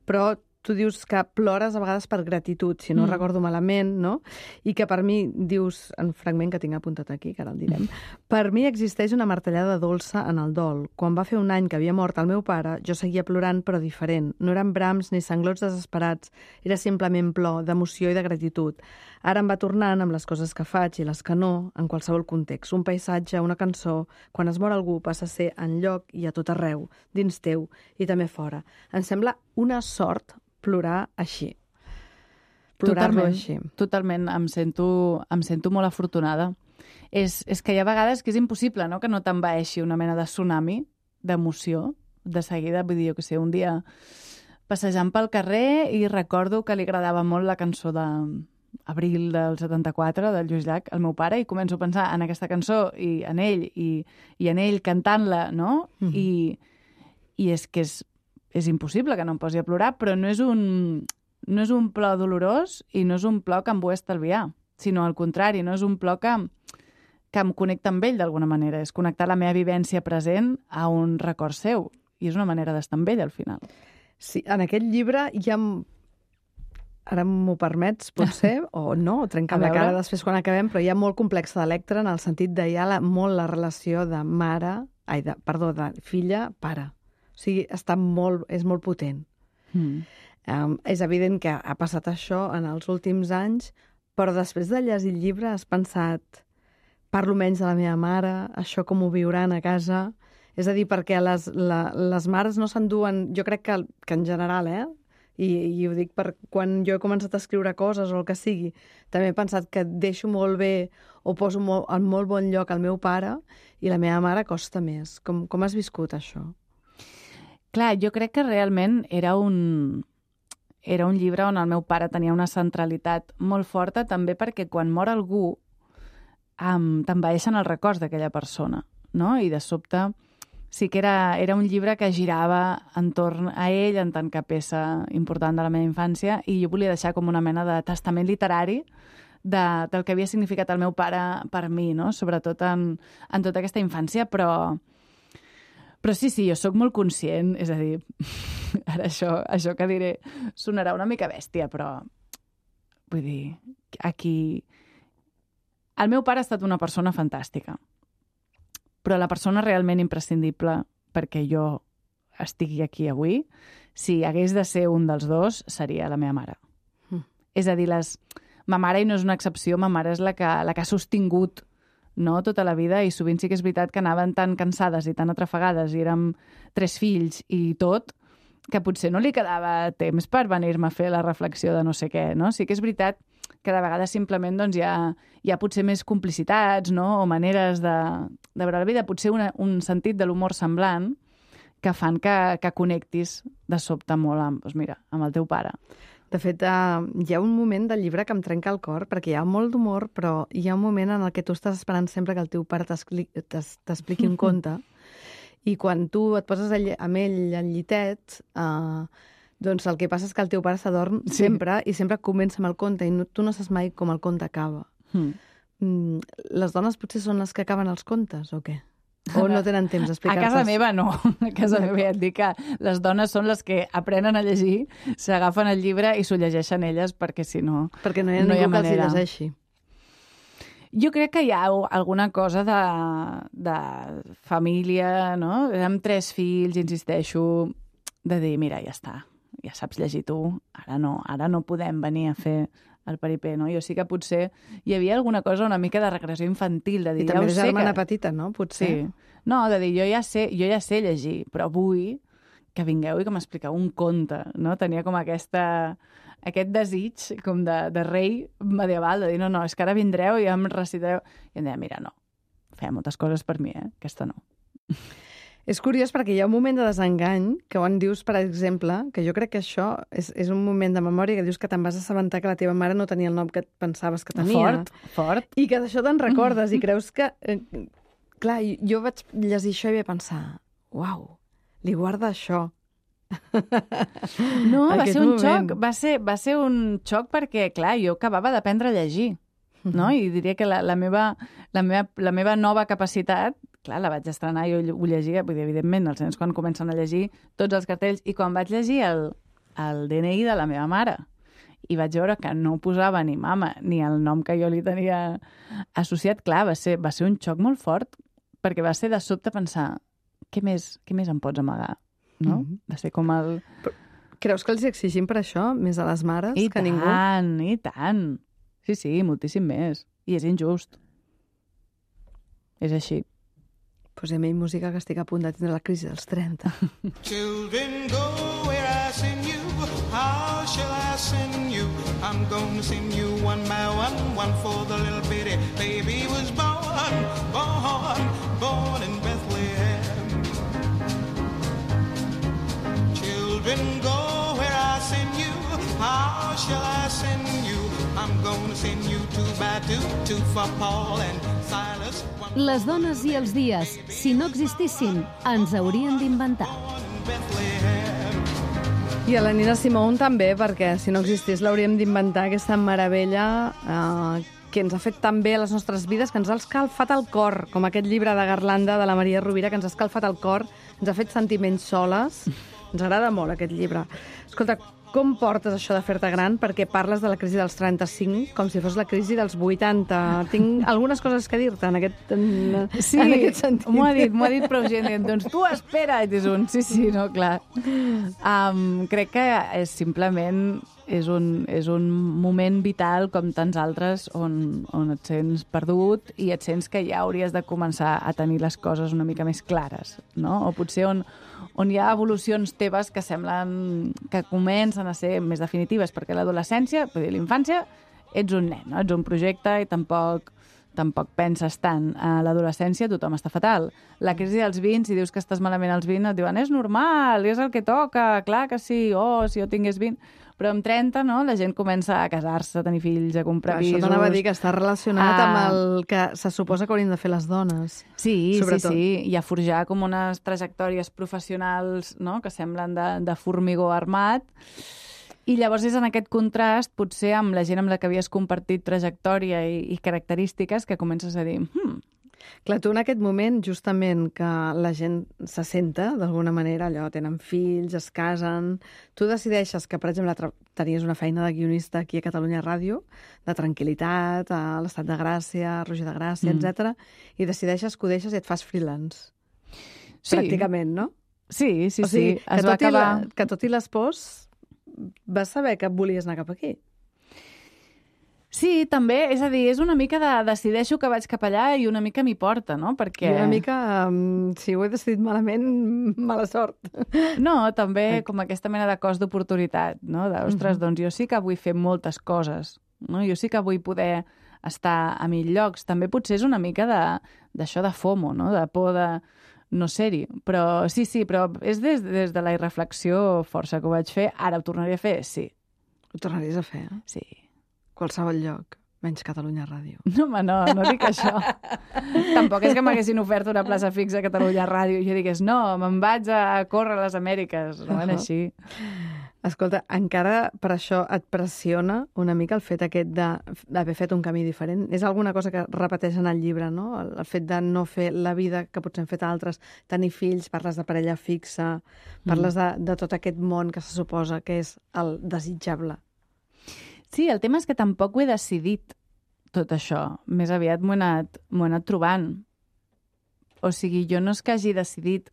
[SPEAKER 1] però tu dius que plores a vegades per gratitud, si no mm. recordo malament, no? I que per mi, dius, en un fragment que tinc apuntat aquí, que ara el direm, per mi existeix una martellada dolça en el dol. Quan va fer un any que havia mort el meu pare, jo seguia plorant, però diferent. No eren brams ni sanglots desesperats, era simplement plor, d'emoció i de gratitud. Ara em va tornant amb les coses que faig i les que no, en qualsevol context. Un paisatge, una cançó, quan es mor algú passa a ser enlloc i a tot arreu, dins teu i també fora. Em sembla una sort plorar així. Plorar-lo així.
[SPEAKER 4] Totalment, em sento, em sento molt afortunada. És, és que hi ha vegades que és impossible, no?, que no t'envaeixi una mena de tsunami d'emoció, de seguida. Vull dir, jo que sé, un dia passejant pel carrer i recordo que li agradava molt la cançó de Abril del setanta-quatre, del Lluís Llach, el meu pare, i començo a pensar en aquesta cançó i en ell, i, i en ell cantant-la, no? Mm-hmm. I, i és que és és impossible que no em posi a plorar, però no és un, no és un plor dolorós i no és un plor que em vull estalviar, sinó al contrari, no és un plor que, que em connecta amb ell d'alguna manera, és connectar la meva vivència present a un record seu, i és una manera d'estar amb ell al final.
[SPEAKER 1] Sí, en aquest llibre hi ha... Ara m'ho permets, potser, o no, o trencar la cara després quan acabem, però hi ha molt complex d'Electra en el sentit de hi ha la, molt la relació de mare, ai, de, perdó, de filla-pare. O sigui, està molt, és molt potent. Mm. Um, és evident que ha passat això en els últims anys, però després de llegir el llibre has pensat, parlo menys de la meva mare, això com ho viuran a casa... És a dir, perquè les, la, les mares no s'enduen... Jo crec que, que en general, eh? I, i ho dic per quan jo he començat a escriure coses o el que sigui, també he pensat que deixo molt bé o poso molt, en molt bon lloc el meu pare i la meva mare costa més. Com, com has viscut això?
[SPEAKER 4] Clar, jo crec que realment era un, era un llibre on el meu pare tenia una centralitat molt forta, també perquè quan mor algú um, t'envaeixen els records d'aquella persona, no? I de sobte sí que era, era un llibre que girava entorn a ell en tant que peça important de la meva infància, i jo volia deixar com una mena de testament literari de, del que havia significat el meu pare per mi, no? Sobretot en, en tota aquesta infància, però... Però sí, sí, jo sóc molt conscient, és a dir, ara això, això que diré sonarà una mica bèstia, però vull dir, aquí... El meu pare ha estat una persona fantàstica, però la persona realment imprescindible perquè jo estigui aquí avui, si hagués de ser un dels dos, seria la meva mare. Mm. És a dir, les... ma mare, i no és una excepció, ma mare és la que, la que ha sostingut, no, tota la vida, i sovint sí que és veritat que anaven tan cansades i tan atrafegades i érem tres fills i tot, que potser no li quedava temps per venir-me a fer la reflexió de no sé què, no? Sí que és veritat que de vegades simplement doncs, hi, ha, hi ha potser més complicitats, no? O maneres de, de veure la vida, potser una, un sentit de l'humor semblant que fan que, que connectis de sobte molt amb, doncs mira, amb el teu pare.
[SPEAKER 1] De fet, uh, hi ha un moment del llibre que em trenca el cor, perquè hi ha molt d'humor, però hi ha un moment en el que tu estàs esperant sempre que el teu pare t'expliqui un conte, i quan tu et poses amb ell al llitet, uh, doncs el que passa és que el teu pare s'adorm sí. sempre, i sempre comença amb el conte, i no, tu no saps mai com el conte acaba. Mm. Mm, les dones potser són les que acaben els contes, o què? O no tenen temps d'explicar-te?
[SPEAKER 4] A casa meva no. A casa meva ja et dic que les dones són les que aprenen a llegir, s'agafen el llibre i s'ho llegeixen elles, perquè si no...
[SPEAKER 1] Perquè no hi ha
[SPEAKER 4] no
[SPEAKER 1] ningú
[SPEAKER 4] hi ha
[SPEAKER 1] que els hi
[SPEAKER 4] manera.
[SPEAKER 1] llegeixi.
[SPEAKER 4] Jo crec que hi ha alguna cosa de, de família, no? Amb tres fills, insisteixo, de dir, mira, ja està, ja saps llegir tu, ara no, ara no podem venir a fer el peripé, no? Jo sí que potser hi havia alguna cosa, una mica de regressió infantil, de dir,
[SPEAKER 1] I també
[SPEAKER 4] ja
[SPEAKER 1] és
[SPEAKER 4] ho sé
[SPEAKER 1] germana
[SPEAKER 4] que...
[SPEAKER 1] petita, no? Potser.
[SPEAKER 4] Sí. No, de dir, jo ja sé, jo ja sé llegir, però vull que vingueu i que m'expliqueu un conte, no? Tenia com aquesta, aquest desig com de, de rei medieval, de dir, no, no, és que ara vindreu i em recitareu. I em deia, mira, no, feia moltes coses per mi, eh? Aquesta no.
[SPEAKER 1] És curiós perquè hi ha un moment de desengany que on dius, per exemple, que jo crec que això és, és un moment de memòria que dius que te'n vas assabentar que la teva mare no tenia el nom que pensaves que tenia.
[SPEAKER 4] Fort, fort.
[SPEAKER 1] I que d'això te'n recordes i creus que... Eh, clar, jo vaig llegir això i vaig pensar, uau, li guarda això.
[SPEAKER 4] No, va ser un moment. xoc, va ser, va ser un xoc perquè, clar, jo acabava d'aprendre a llegir, no? I diria que la, la, meva, la, meva, la meva nova capacitat, clar, la vaig estrenar, jo ho llegia, vull dir, evidentment, els nens quan comencen a llegir tots els cartells, i quan vaig llegir el, el D N I de la meva mare, i vaig veure que no posava ni mama ni el nom que jo li tenia associat, clar, va ser, va ser un xoc molt fort, perquè va ser de sobte pensar, què més, què més em pots amagar? No? Mm-hmm. Va ser com el...
[SPEAKER 1] Però, creus que els exigim per això, més a les mares
[SPEAKER 4] I
[SPEAKER 1] que
[SPEAKER 4] tant,
[SPEAKER 1] ningú?
[SPEAKER 4] I tant, i tant. Sí, sí, moltíssim més. I és injust. És així.
[SPEAKER 1] Posem ell música que estic a punt de tindre la crisi dels trenta.
[SPEAKER 8] Children, go where I send you. How shall I send you? I'm gonna send you one by one, one for the little bitty baby was born, born, born in Bethlehem. Children, go where I send you. How shall I send you? I'm gonna send you two by two, two for Paul and Silas.
[SPEAKER 9] Les dones i els dies, si no existissin, ens haurien d'inventar.
[SPEAKER 1] I a la Nina Simone també, perquè si no existís l'hauríem d'inventar, aquesta meravella eh, que ens ha fet tan bé a les nostres vides, que ens ha escalfat el cor, com aquest llibre de Garlanda de la Maria Rovira, que ens ha escalfat el cor, ens ha fet sentiments soles. Ens agrada molt aquest llibre. Escolta, com portes això de fer-te gran? Perquè parles de la crisi dels trenta-cinc com si fos la crisi dels vuitanta. Tinc algunes coses que dir-te en aquest, en,
[SPEAKER 4] sí,
[SPEAKER 1] en aquest sentit.
[SPEAKER 4] M'ho ha dit, m'ho ha dit prou gent. Doncs tu espera, i és un sí, sí, no, clar. Um, crec que és simplement és un, és un moment vital com tants altres on, on et sents perdut i et sents que ja hauries de començar a tenir les coses una mica més clares, no? O potser on, on hi ha evolucions teves que semblen que comencen a ser més definitives, perquè l'adolescència, vull dir, l'infància, ets un nen, no? Ets un projecte i tampoc tampoc penses tant. A l'adolescència tothom està fatal. La crisi dels vint, si dius que estàs malament als vint, et diuen és normal, és el que toca, clar que sí, oh, si jo tingués vint... Però amb trenta, no?, la gent comença a casar-se, a tenir fills, a comprar
[SPEAKER 1] Però
[SPEAKER 4] pisos...
[SPEAKER 1] Això t'anava a dir que està relacionat
[SPEAKER 4] a...
[SPEAKER 1] amb el que se suposa que haurien de fer les dones.
[SPEAKER 4] Sí,
[SPEAKER 1] sobretot.
[SPEAKER 4] sí, sí, i a forjar com unes trajectòries professionals, no?, que semblen de, de formigó armat. I llavors és en aquest contrast, potser amb la gent amb la que havies compartit trajectòria i, i característiques, que comences a dir... Hmm,
[SPEAKER 1] Clar, tu en aquest moment, justament que la gent se senta, d'alguna manera, allò, tenen fills, es casen, tu decideixes que, per exemple, tra- tenies una feina de guionista aquí a Catalunya Ràdio, de tranquil·litat, a l'Estat de Gràcia, a Roger de Gràcia,
[SPEAKER 4] Mm.
[SPEAKER 1] etcètera, i decideixes que ho deixes i et fas freelance.
[SPEAKER 4] Sí.
[SPEAKER 1] Pràcticament, no?
[SPEAKER 4] Sí, sí,
[SPEAKER 1] o sigui,
[SPEAKER 4] sí. Es
[SPEAKER 1] que
[SPEAKER 4] va
[SPEAKER 1] tot, i la,
[SPEAKER 4] acabar...
[SPEAKER 1] que tot i l'espòs vas saber que volies anar cap aquí.
[SPEAKER 4] Sí, també, és a dir, és una mica de decideixo que vaig cap allà i una mica m'hi porta, no? Perquè...
[SPEAKER 1] I una mica, um, si ho he decidit malament, mala sort.
[SPEAKER 4] No, també com aquesta mena de cost d'oportunitat, no? De, ostres,
[SPEAKER 1] Mhm.
[SPEAKER 4] doncs jo sí que vull fer moltes coses, no? Jo sí que vull poder estar a mil llocs. També potser és una mica de- d'això de, de FOMO, no? De por de no ser-hi. Però sí, sí, però és des, des de la irreflexió força que ho vaig fer. Ara ho tornaria a fer? Sí.
[SPEAKER 1] Ho tornaries a fer, eh?
[SPEAKER 4] Sí.
[SPEAKER 1] Qualsevol lloc, menys Catalunya Ràdio.
[SPEAKER 4] No, home, no, no dic això. Tampoc és que m'haguessin ofert una plaça fixa a Catalunya Ràdio i jo digués, no, me'n vaig a córrer a les Amèriques. No van
[SPEAKER 1] Uh-huh.
[SPEAKER 4] així.
[SPEAKER 1] Escolta, encara per això et pressiona una mica el fet aquest de- d'haver fet un camí diferent? És alguna cosa que repeteix en el llibre, no? El, el fet de no fer la vida que potser han fet altres, tenir fills, parles de parella fixa, parles de, de tot aquest món que se suposa que és el desitjable.
[SPEAKER 4] Sí, el tema és que tampoc ho he decidit, tot això. Més aviat m'ho he anat, m'ho he anat trobant. O sigui, jo no és que hagi decidit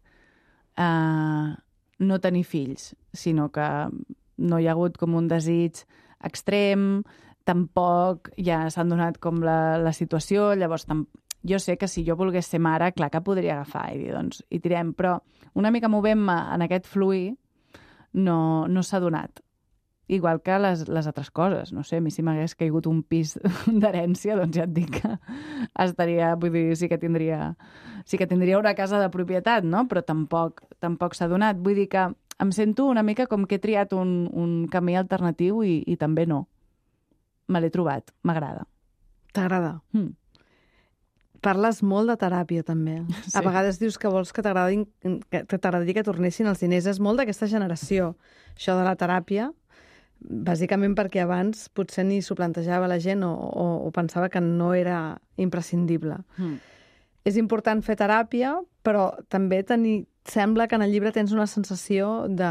[SPEAKER 4] eh, no tenir fills, sinó que no hi ha hagut com un desig extrem, tampoc ja s'han donat com la, la situació, llavors tam... jo sé que si jo volgués ser mare, clar que podria agafar i dir, doncs, hi tirem, però una mica movent-me en aquest fluir no, no s'ha donat. Igual que les, les altres coses. No sé, a mi si m'hagués caigut un pis d'herència, doncs ja et dic que estaria, vull dir, sí que tindria, sí que tindria una casa de propietat, no? Però tampoc, tampoc s'ha donat. Vull dir que em sento una mica com que he triat un, un camí alternatiu i, i també no. Me l'he trobat, m'agrada.
[SPEAKER 1] T'agrada?
[SPEAKER 4] Mm.
[SPEAKER 1] Parles molt de teràpia, també.
[SPEAKER 4] Sí.
[SPEAKER 1] A vegades dius que vols que t'agradin, que t'agradaria que tornessin els diners. És molt d'aquesta generació, això de la teràpia, bàsicament perquè abans potser ni s'ho plantejava la gent o, o, o pensava que no era imprescindible.
[SPEAKER 4] Mm.
[SPEAKER 1] És important fer teràpia, però també tenir... Sembla que en el llibre tens una sensació de...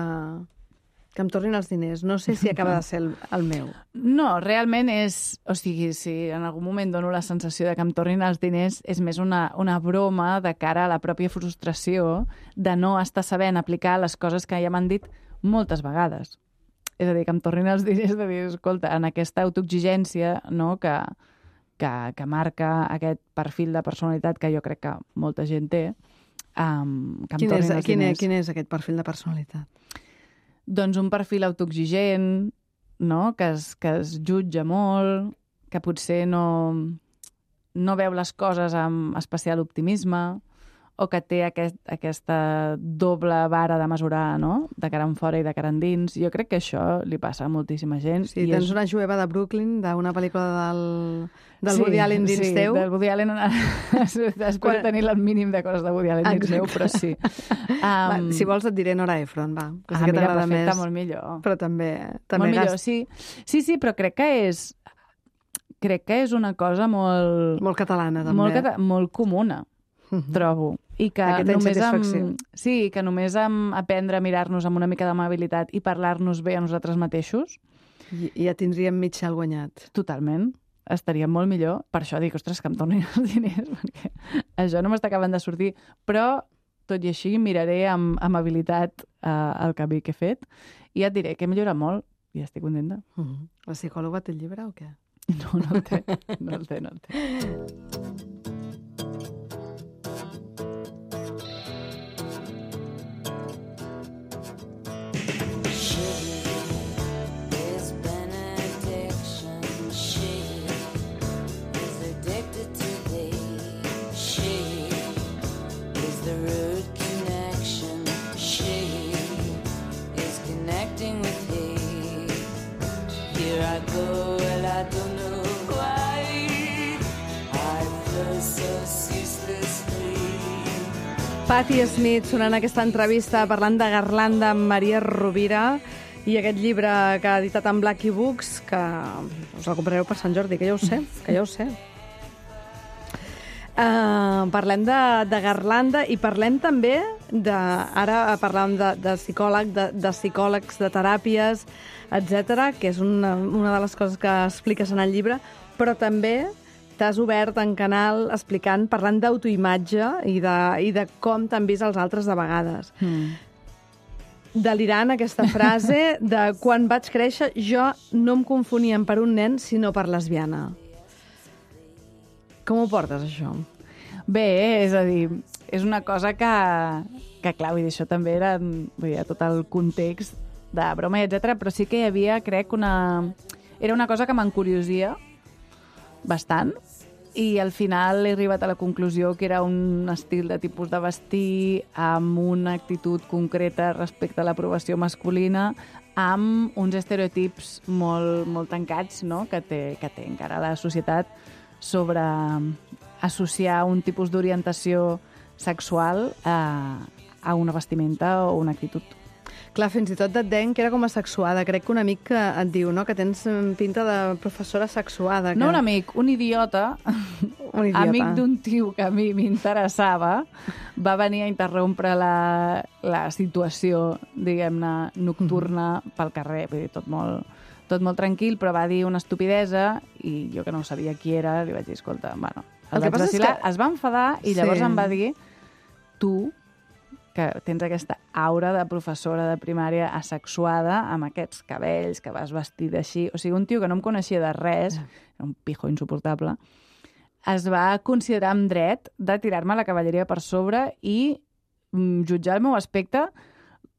[SPEAKER 1] que em tornin els diners. No sé si acaba de ser el, el meu.
[SPEAKER 4] No, realment és... O sigui, si en algun moment dono la sensació de que em tornin els diners, és més una, una broma de cara a la pròpia frustració de no estar sabent aplicar les coses que ja m'han dit moltes vegades. És a dir, que em tornin els diners de dir, escolta, en aquesta autoexigència, no?, que, que, que marca aquest perfil de personalitat que jo crec que molta gent té, um, que em
[SPEAKER 1] Quin
[SPEAKER 4] tornin
[SPEAKER 1] és,
[SPEAKER 4] els
[SPEAKER 1] quin,
[SPEAKER 4] diners.
[SPEAKER 1] és, quin és aquest perfil de personalitat?
[SPEAKER 4] Doncs un perfil autoexigent, no?, que es, que es jutja molt, que potser no, no veu les coses amb especial optimisme, o que té aquest, aquesta doble vara de mesurar, no?, de cara en fora i de cara endins. Jo crec que això li passa a moltíssima gent.
[SPEAKER 1] Sí,
[SPEAKER 4] i
[SPEAKER 1] tens
[SPEAKER 4] és...
[SPEAKER 1] una jueva de Brooklyn, d'una pel·lícula del, del Woody Allen dins
[SPEAKER 4] sí,
[SPEAKER 1] teu.
[SPEAKER 4] Sí, del Woody Allen, després
[SPEAKER 1] Quan-
[SPEAKER 4] de tenir el mínim de coses de Woody Allen dins
[SPEAKER 1] Exacte.
[SPEAKER 4] meu, però sí.
[SPEAKER 1] Va,
[SPEAKER 4] Um,
[SPEAKER 1] si vols et diré Nora Ephron, va. Que
[SPEAKER 4] ah,
[SPEAKER 1] sí que
[SPEAKER 4] mira,
[SPEAKER 1] t'agrada
[SPEAKER 4] perfecte,
[SPEAKER 1] més,
[SPEAKER 4] molt millor.
[SPEAKER 1] però també, també
[SPEAKER 4] molt millor,
[SPEAKER 1] gast...
[SPEAKER 4] sí. Sí, sí, però crec que és... Crec que és una cosa molt...
[SPEAKER 1] Molt catalana, també.
[SPEAKER 4] Molt, cata... molt comuna,
[SPEAKER 1] Mhm.
[SPEAKER 4] trobo. I que
[SPEAKER 1] Aquesta
[SPEAKER 4] només
[SPEAKER 1] insatisfacció.
[SPEAKER 4] amb... Sí, que només amb aprendre a mirar-nos amb una mica d'amabilitat i parlar-nos bé a nosaltres mateixos,
[SPEAKER 1] I, I ja tindríem mig cel guanyat.
[SPEAKER 4] totalment, estaria molt millor. Per això dic, ostres, que em tornin els diners, perquè això no m'està acabant de sortir. Però, tot i així, miraré amb amabilitat uh, el camí que he fet i ja et diré que he millorat molt i estic contenta.
[SPEAKER 1] Uh -huh. La psicòloga té el llibre o què?
[SPEAKER 4] No, no el té, no el té, no el té.
[SPEAKER 1] Patti Smith sonant aquesta entrevista parlant de Garlanda amb Maria Rovira i aquest llibre que ha editat en Blackie Books, que us el comprareu per Sant Jordi, que ja ho sé, que ja ho sé. Uh, parlem de, de Garlanda i parlem també de... Ara parlàvem de, de psicòleg, de, de psicòlegs, de teràpies, etcètera, que és una, una de les coses que expliques en el llibre, però també t'has obert en canal explicant, parlant d'autoimatge i de, i de com t'han vist els altres de vegades. Mm. Delirant aquesta frase de quan vaig créixer jo no em confonien per un nen sinó per lesbiana. Com ho portes, això?
[SPEAKER 4] Bé, és a dir, és una cosa que, que clar, vull dir, això també era vull dir, tot el context de broma, etcètera, però sí que hi havia, crec, una... Era una cosa que m'encuriosia bastant i al final he arribat a la conclusió que era un estil de tipus de vestir amb una actitud concreta respecte a l'aprovació masculina, amb uns estereotips molt, molt tancats, no?, que té, que té encara la societat sobre associar un tipus d'orientació sexual a, a una vestimenta o una actitud.
[SPEAKER 1] Clar, fins i tot et deien que era com a sexuada. Crec que un amic que et diu, no?, que tens pinta de professora sexuada. Que...
[SPEAKER 4] No un amic, un idiota,
[SPEAKER 1] un idiota.
[SPEAKER 4] Amic d'un tio que a mi m'interessava, va venir a interrompre la, la situació, diguem-ne, nocturna pel carrer. Vull dir, tot molt... tot molt tranquil, però va dir una estupidesa i jo, que no sabia qui era, li vaig dir, escolta, bueno, el, el vaig vacilar, que... es va enfadar i llavors sí. em va dir, tu, que tens aquesta aura de professora de primària asexuada, amb aquests cabells, que vas vestida així, o sigui, un tio que no em coneixia de res, era un pijo insuportable, es va considerar amb dret de tirar-me la cavalleria per sobre i mm, jutjar el meu aspecte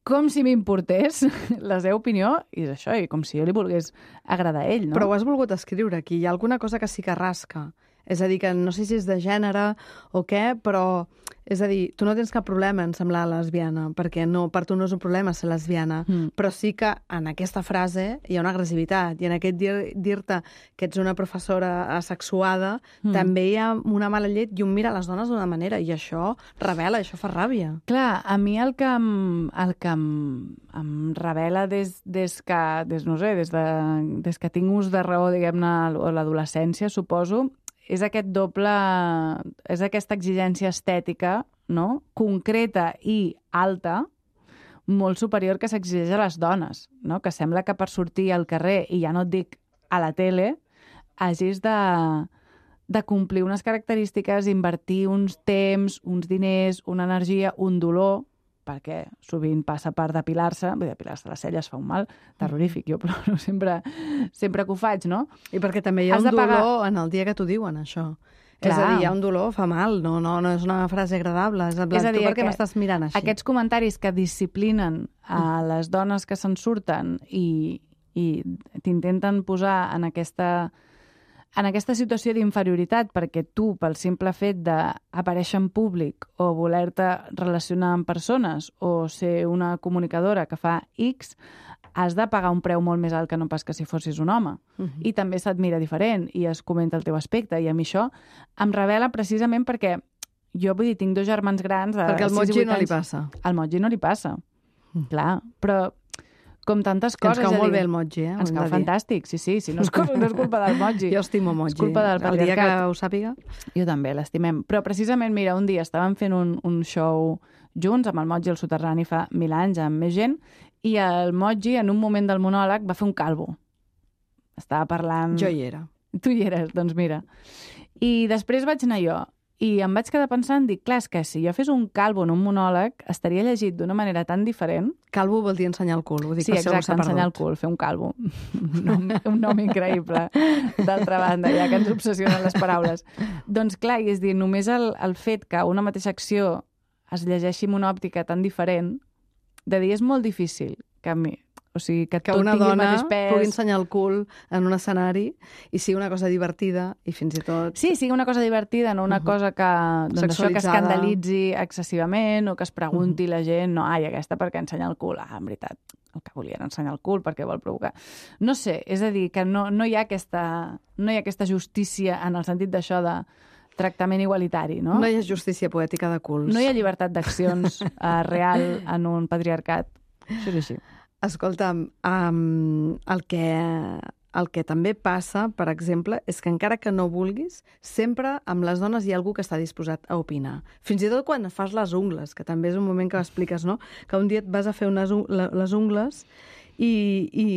[SPEAKER 4] com si m'importés la seva opinió, i és això, i com si jo li volgués agradar a ell, no?
[SPEAKER 1] Però ho has volgut escriure aquí. Hi ha alguna cosa que sí que rasca. És a dir, que no sé si és de gènere o què, però... És a dir, tu no tens cap problema en semblar lesbiana, perquè no, per tu no és un problema ser lesbiana, mm. però sí que en aquesta frase hi ha una agressivitat, i en aquest dir, dir-te que ets una professora asexuada, mm. també hi ha una mala llet i un mira les dones d'una manera, i això revela, això fa ràbia.
[SPEAKER 4] Clar, a mi el que em, el que em, em revela des, des que, des, no sé, des, de, des que tinc ús de raó, diguem-ne, o l'adolescència, suposo, és aquest doble... és aquesta exigència estètica, no?, concreta i alta, molt superior que s'exigeix a les dones, no?, que sembla que per sortir al carrer, i ja no et dic a la tele, hagis de, de complir unes característiques, invertir uns temps, uns diners, una energia, un dolor, perquè sovint passa per depilar-se, vull dir, depilar-se les celles fa un mal terrorífic, jo ploro sempre, sempre que ho faig, no?
[SPEAKER 1] I perquè també hi ha
[SPEAKER 4] Has
[SPEAKER 1] un dolor
[SPEAKER 4] pagar...
[SPEAKER 1] en el dia que t'ho diuen, això.
[SPEAKER 4] Clar.
[SPEAKER 1] És a dir, hi ha un dolor, fa mal, no, no, no és una frase agradable. És, en plan,
[SPEAKER 4] és a dir,
[SPEAKER 1] tu per què m'estàs mirant així?
[SPEAKER 4] Aquests comentaris que disciplinen a les dones que se'n surten i, i t'intenten posar en aquesta... en aquesta situació d'inferioritat, perquè tu, pel simple fet d'aparèixer en públic o voler-te relacionar amb persones o ser una comunicadora que fa X, has de pagar un preu molt més alt que no pas que si fossis un home. Uh-huh. I també s'admira diferent i es comenta el teu aspecte. I a mi això em revela precisament perquè jo, vull dir, tinc dos germans grans de
[SPEAKER 1] perquè al Moji no li passa.
[SPEAKER 4] Al Moji no li passa, uh-huh. clar. Però... com tantes
[SPEAKER 1] que
[SPEAKER 4] coses.
[SPEAKER 1] Ens cau molt bé el Moji, eh?
[SPEAKER 4] Ens cau fantàstic, sí, sí, sí. No és, culpa, no és culpa del Moji.
[SPEAKER 1] Jo estimo Moji.
[SPEAKER 4] És culpa del patriarcat.
[SPEAKER 1] El dia que ho sàpiga.
[SPEAKER 4] Jo també, l'estimem. Però precisament, mira, un dia estàvem fent un, un show junts amb el Moji al Soterrani fa mil anys, amb més gent, i el Moji, en un moment del monòleg, va fer un calvo. Estava parlant...
[SPEAKER 1] Jo hi era.
[SPEAKER 4] Tu hi eres, doncs mira. I després vaig anar jo. I em vaig quedar pensant, dic, clar, és que si jo fes un calvo en un monòleg, estaria llegit d'una manera tan diferent.
[SPEAKER 1] Calvo vol dir ensenyar el cul, ho dic
[SPEAKER 4] sí,
[SPEAKER 1] per
[SPEAKER 4] exacte, ensenyar el cul, fer un calvo. Un nom, un nom increïble. D'altra banda, ja que ens obsessionen les paraules. Doncs clar, i és dir, només el, el fet que una mateixa acció es llegeixi amb una òptica tan diferent, de dir, és molt difícil que a mi... O sigui, que,
[SPEAKER 1] que
[SPEAKER 4] tot
[SPEAKER 1] una dona
[SPEAKER 4] pes...
[SPEAKER 1] pugui ensenyar el cul en un escenari i sigui una cosa divertida i fins i tot...
[SPEAKER 4] Sí, sigui una cosa divertida, no una uh-huh. cosa que, doncs això, que escandalitzi excessivament o que es pregunti uh-huh. la gent, no, ai, aquesta perquè ensenya el cul. Ah, en veritat, el que volien ensenyar el cul perquè vol provocar. No sé, és a dir, que no, no, hi ha aquesta, no hi ha aquesta justícia en el sentit d'això de tractament igualitari, no?
[SPEAKER 1] No hi ha justícia poètica de culs.
[SPEAKER 4] No hi ha llibertat d'accions uh, real en un patriarcat. Això és així.
[SPEAKER 1] Escolta'm, um, el, que, el que també passa, per exemple, és que encara que no vulguis, sempre amb les dones hi ha algú que està disposat a opinar. Fins i tot quan fas les ungles, que també és un moment que expliques, no? Que un dia et vas a fer unes, les ungles i, i,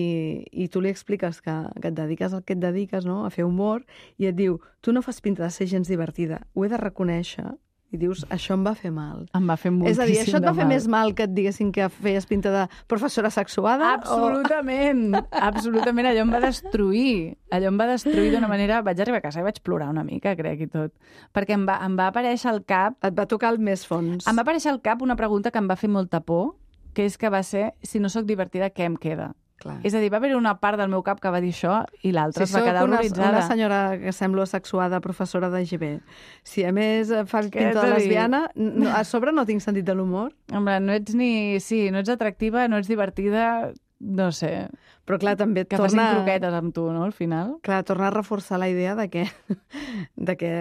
[SPEAKER 1] i tu li expliques que, que et dediques al que et dediques, no? A fer humor, i et diu, tu no fas pinta de ser gens divertida, ho he de reconèixer. I dius, això em va fer mal.
[SPEAKER 4] Em va fer moltíssim de mal.
[SPEAKER 1] És a dir, això et va fer més mal que et diguessin que feies pinta de professora sexuada?
[SPEAKER 4] Absolutament, o... absolutament. Allò em va destruir. Allò em va destruir d'una manera... Vaig arribar a casa i vaig plorar una mica, crec, i tot. Perquè em va, em va aparèixer al cap...
[SPEAKER 1] Et va tocar el més fons.
[SPEAKER 4] Em va aparèixer al cap una pregunta que em va fer molta por, que és que va ser, si no sóc divertida, què em queda?
[SPEAKER 1] Clar.
[SPEAKER 4] És a dir, va haver una part del meu cap que va dir això i l'altra
[SPEAKER 1] si
[SPEAKER 4] es va quedar
[SPEAKER 1] una,
[SPEAKER 4] horroritzada.
[SPEAKER 1] una senyora que sembla sexuada, professora de G B, si a més fa pinta de lesbiana, no, a sobre no tinc sentit de l'humor.
[SPEAKER 4] Home, no ets ni... Sí, no ets atractiva, no ets divertida, no sé.
[SPEAKER 1] Però clar, també
[SPEAKER 4] que
[SPEAKER 1] torna...
[SPEAKER 4] Que facin croquetes amb tu, no, al final.
[SPEAKER 1] Clar, torna a reforçar la idea de que, de que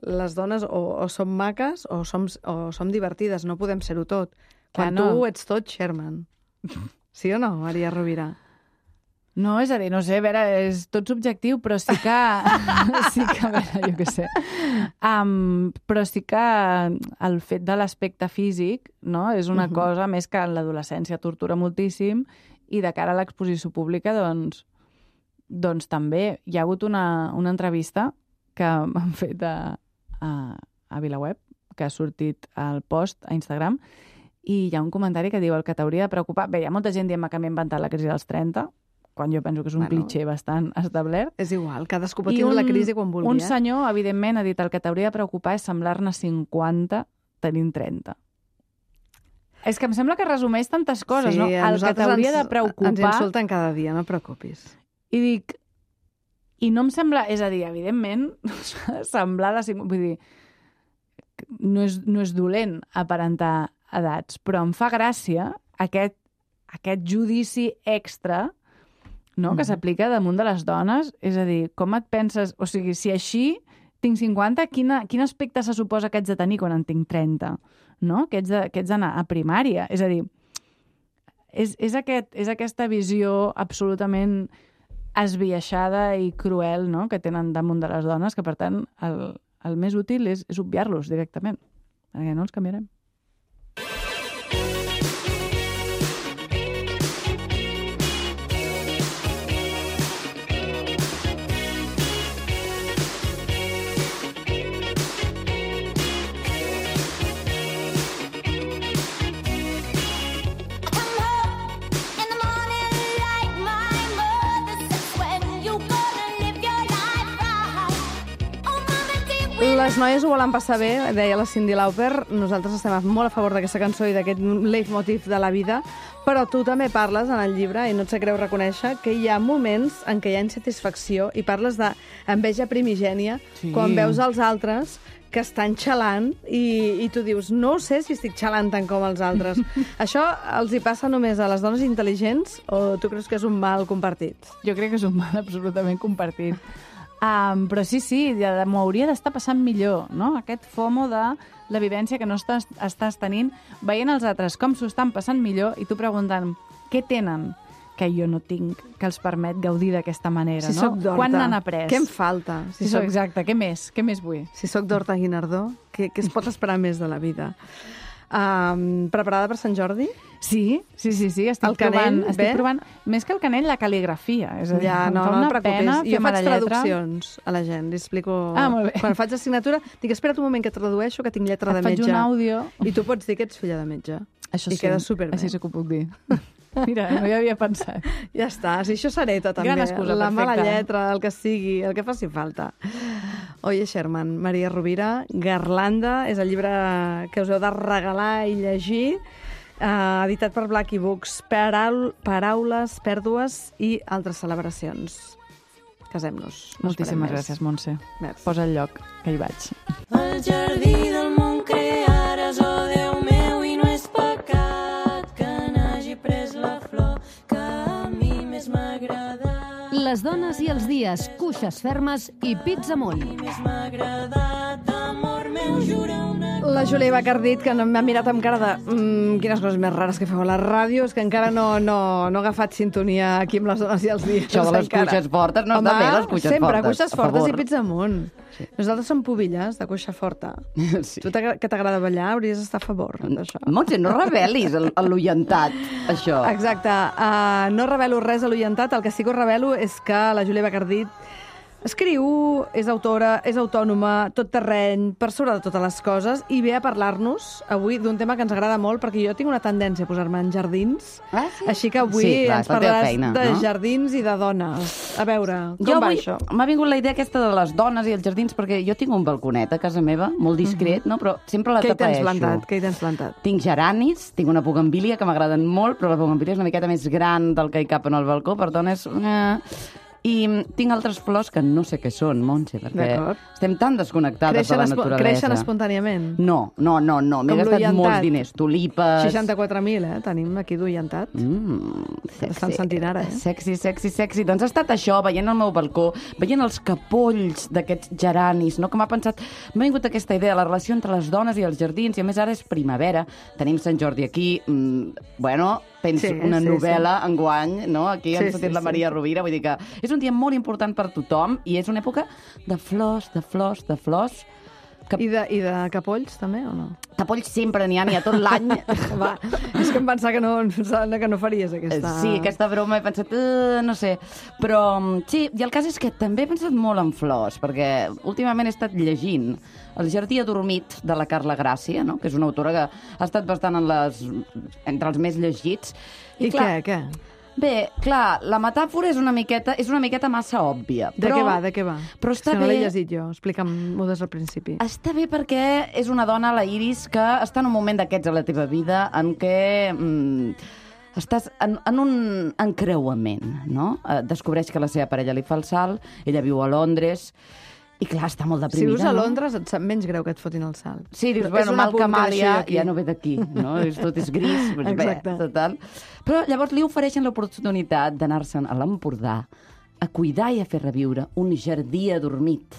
[SPEAKER 1] les dones o, o som maques o som, o som divertides, no podem ser-ho tot. Quan
[SPEAKER 4] clar, no.
[SPEAKER 1] tu ets tot, Sherman. Sí o no, Maria Rovira?
[SPEAKER 4] No, és a dir, no sé, a veure, és tot subjectiu, però sí que... sí que, a veure, jo què sé. Um, però sí que el fet de l'aspecte físic, no?, és una uh-huh. cosa més que en l'adolescència tortura moltíssim i de cara a l'exposició pública, doncs, doncs també hi ha hagut una, una entrevista que m'han fet a, a, a VilaWeb, que ha sortit al post a Instagram, i hi ha un comentari que diu el que t'hauria de preocupar... Bé, hi ha molta gent dient que m'he inventat la crisi dels trenta, quan jo penso que és un bueno, cliché bastant establert.
[SPEAKER 1] És igual, cadascú pot tenir la crisi quan vulgui.
[SPEAKER 4] Un
[SPEAKER 1] eh?
[SPEAKER 4] senyor, evidentment, ha dit el que t'hauria de preocupar és semblar-ne cinquanta tenint trenta. És que em sembla que resumeix tantes coses,
[SPEAKER 1] sí,
[SPEAKER 4] no? El que t'hauria de preocupar...
[SPEAKER 1] Ens insulten cada dia, no et preocupis.
[SPEAKER 4] I dic... I no em sembla... És a dir, evidentment, semblar de cinquanta... Vull dir, no és, no és dolent aparentar edats, però em fa gràcia aquest, aquest judici extra, no?, que s'aplica damunt de les dones. És a dir, com et penses... O sigui, si així tinc cinquanta, quina, quin aspecte se suposa que haig de tenir quan en tinc trenta? No? Que haig de, que haig d'anar a primària. És a dir, és, és, aquest, és aquesta visió absolutament esbiaixada i cruel, no?, que tenen damunt de les dones, que, per tant, el, el més útil és, és obviar-los directament, perquè no els canviarem.
[SPEAKER 1] Les noies ho volen passar bé, deia la Cyndi Lauper. Nosaltres estem molt a favor d'aquesta cançó i d'aquest leitmotiv de la vida, però tu també parles en el llibre, i no et sap greu reconèixer, que hi ha moments en què hi ha insatisfacció i parles d'enveja primigènia, sí, quan veus els altres que estan xalant i, i tu dius, no sé si estic xalant tant com els altres. Això els hi passa només a les dones intel·ligents o tu creus que és un mal compartit?
[SPEAKER 4] Jo crec que és un mal absolutament compartit. Um, però sí, sí, m'ho hauria d'estar passant millor, no? Aquest FOMO de la vivència que no estàs, estàs tenint, veient els altres com s'ho estan passant millor i tu preguntant què tenen que jo no tinc, que els permet gaudir d'aquesta manera,
[SPEAKER 1] si
[SPEAKER 4] no?
[SPEAKER 1] Soc d'Horta,
[SPEAKER 4] quan n'han après?
[SPEAKER 1] Què em falta?
[SPEAKER 4] Si, si soc... Exacte, què més? Què més vull?
[SPEAKER 1] Si sóc d'Horta Guinardó, què, què es pot esperar més de la vida? Um, preparada per Sant Jordi?
[SPEAKER 4] Sí, sí, sí, sí. Estic
[SPEAKER 1] el canell,
[SPEAKER 4] provant, estic provant, més que el canell, la cal·ligrafia. És a dir,
[SPEAKER 1] ja, no, no et preocupis. Jo faig traduccions a la gent, li explico...
[SPEAKER 4] Ah, molt bé.
[SPEAKER 1] Quan faig assignatura, dic, espera't un moment que tradueixo, que tinc lletra
[SPEAKER 4] et
[SPEAKER 1] de metge.
[SPEAKER 4] Et faig un àudio.
[SPEAKER 1] I tu pots dir que ets filla de metge.
[SPEAKER 4] Això
[SPEAKER 1] I
[SPEAKER 4] sí,
[SPEAKER 1] queda superbé.
[SPEAKER 4] així sí que ho puc dir. Mira, no hi havia pensat.
[SPEAKER 1] Ja està, si això seré tot també.
[SPEAKER 4] Gran excusa,
[SPEAKER 1] la
[SPEAKER 4] perfecte.
[SPEAKER 1] Mala lletra, el que sigui, el que faci falta. Oye, Sherman, Maria Rovira, Garlanda, és el llibre que us heu de regalar i llegir, uh, editat per Blacky Books, Paraul Paraules, pèrdues i altres celebracions. Casem-nos. No
[SPEAKER 4] Moltíssimes gràcies, Montse.
[SPEAKER 1] Merci.
[SPEAKER 4] Posa el lloc, que hi vaig.
[SPEAKER 3] El jardí del món crearàs, oh Déu meu, i no és pecat que n'hagi pres la flor que a mi més m'agrada.
[SPEAKER 9] Les dones i els dies, cuixes fermes i pits amunt.
[SPEAKER 3] Més m'ha agradat, amor
[SPEAKER 1] La Júlia Bacardit, que m'ha mirat amb cara de mm, quines coses més rares que feu a la ràdio, és que encara no, no, no ha agafat sintonia aquí amb les dones i els dies.
[SPEAKER 10] Això de les
[SPEAKER 1] encara.
[SPEAKER 10] cuixes fortes no està bé, les cuixes
[SPEAKER 1] sempre,
[SPEAKER 10] fortes.
[SPEAKER 1] cuixes
[SPEAKER 10] a
[SPEAKER 1] fortes
[SPEAKER 10] favor.
[SPEAKER 1] i pits amunt. Sí. Nosaltres som pubilles de cuixa forta.
[SPEAKER 10] Sí.
[SPEAKER 1] Tu t'agra- que t'agrada ballar hauries d'estar a favor d'això.
[SPEAKER 10] Montse, no revelis el- l'oyentat, això.
[SPEAKER 1] Exacte. Uh, no revelo res a l'oyentat, el que sí que us revelo és que la Júlia Bacardit escriu, és autora, és autònoma, tot terreny, per sobre de totes les coses, i ve a parlar-nos avui d'un tema que ens agrada molt, perquè jo tinc una tendència a posar-me en jardins,
[SPEAKER 10] Ah, sí?
[SPEAKER 1] així que avui
[SPEAKER 10] Sí, clar,
[SPEAKER 1] ens
[SPEAKER 10] és la teva
[SPEAKER 1] parlaràs
[SPEAKER 10] feina,
[SPEAKER 1] de
[SPEAKER 10] no?
[SPEAKER 1] jardins i de dones. A veure, com
[SPEAKER 10] Jo
[SPEAKER 1] va
[SPEAKER 10] avui
[SPEAKER 1] això?
[SPEAKER 10] m'ha vingut la idea aquesta de les dones i els jardins, perquè jo tinc un balconet a casa meva, molt discret, no? Però sempre la
[SPEAKER 1] Què hi tens
[SPEAKER 10] tapaeixo.
[SPEAKER 1] plantat? Què hi tens plantat?
[SPEAKER 10] Tinc geranis, tinc una bugambília que m'agraden molt, però la bugambília és una miqueta més gran del que hi cap en el balcó, per tant és... Eh... I tinc altres flors que no sé què són, Montse, perquè
[SPEAKER 1] D'acord.
[SPEAKER 10] estem tan desconnectades
[SPEAKER 1] Creixen,
[SPEAKER 10] de la
[SPEAKER 1] espo-
[SPEAKER 10] naturalesa.
[SPEAKER 1] creixen espontàniament?
[SPEAKER 10] No, no, no, no. M'he
[SPEAKER 1] Com
[SPEAKER 10] gastat
[SPEAKER 1] l'oyentat.
[SPEAKER 10] molts diners. Tulipes...
[SPEAKER 1] seixanta-quatre mil, eh? Tenim aquí d'oyentat.
[SPEAKER 10] Mm,
[SPEAKER 1] L'estan sentint ara, eh?
[SPEAKER 10] Sexy, sexy, sexy. Doncs ha estat això, veient el meu balcó, veient els capolls d'aquests geranis, no? Que m'ha pensat... M'ha vingut aquesta idea, la relació entre les dones i els jardins, i a més ara és primavera, tenim Sant Jordi aquí, mm, bueno, penso
[SPEAKER 1] Sí,
[SPEAKER 10] una
[SPEAKER 1] sí,
[SPEAKER 10] novel·la sí. enguany, no? Aquí
[SPEAKER 1] Sí,
[SPEAKER 10] han sortit
[SPEAKER 1] sí,
[SPEAKER 10] la
[SPEAKER 1] sí.
[SPEAKER 10] Maria Rovira, vull dir que és un dia molt important per tothom i és una època de flors, de flors, de flors. Que...
[SPEAKER 1] I, de, I de capolls, també, o no?
[SPEAKER 10] Capolls sempre n'hi ha, n'hi ha tot l'any.
[SPEAKER 1] Va, és que em pensava que no, que no faries aquesta...
[SPEAKER 10] Sí, aquesta broma he pensat, uh, no sé, però sí, i el cas és que també he pensat molt en flors, perquè últimament he estat llegint El jardí adormit de la Carla Gràcia, no? Que és una autora que ha estat bastant en les, entre els més llegits.
[SPEAKER 1] I, I
[SPEAKER 10] clar,
[SPEAKER 1] què, què?
[SPEAKER 10] Bé, clar, la metàfora és una miqueta, és una miqueta massa òbvia.
[SPEAKER 1] De
[SPEAKER 10] però,
[SPEAKER 1] què va, de què va?
[SPEAKER 10] Però està
[SPEAKER 1] si no
[SPEAKER 10] bé...
[SPEAKER 1] l'he llegit jo, explica'm-ho des del principi.
[SPEAKER 10] Està bé perquè és una dona, la Iris, que està en un moment d'aquests a la teva vida en què mm, estàs en, en un encreuament, no? Eh, descobreix que la seva parella li fa el salt, ella viu a Londres, i clar, està molt
[SPEAKER 1] Si
[SPEAKER 10] deprimida.
[SPEAKER 1] vius a
[SPEAKER 10] no?
[SPEAKER 1] Londres et sap menys greu que et fotin el salt.
[SPEAKER 10] Sí, dius,
[SPEAKER 1] És
[SPEAKER 10] bueno,
[SPEAKER 1] un
[SPEAKER 10] mal
[SPEAKER 1] apunt
[SPEAKER 10] que mal
[SPEAKER 1] deixo
[SPEAKER 10] ja,
[SPEAKER 1] jo aquí.
[SPEAKER 10] ja no ve d'aquí, no? És, tot és gris, doncs
[SPEAKER 1] Exacte.
[SPEAKER 10] bé, total. Però llavors li ofereixen l'oportunitat d'anar-se'n a l'Empordà a cuidar i a fer reviure un jardí adormit.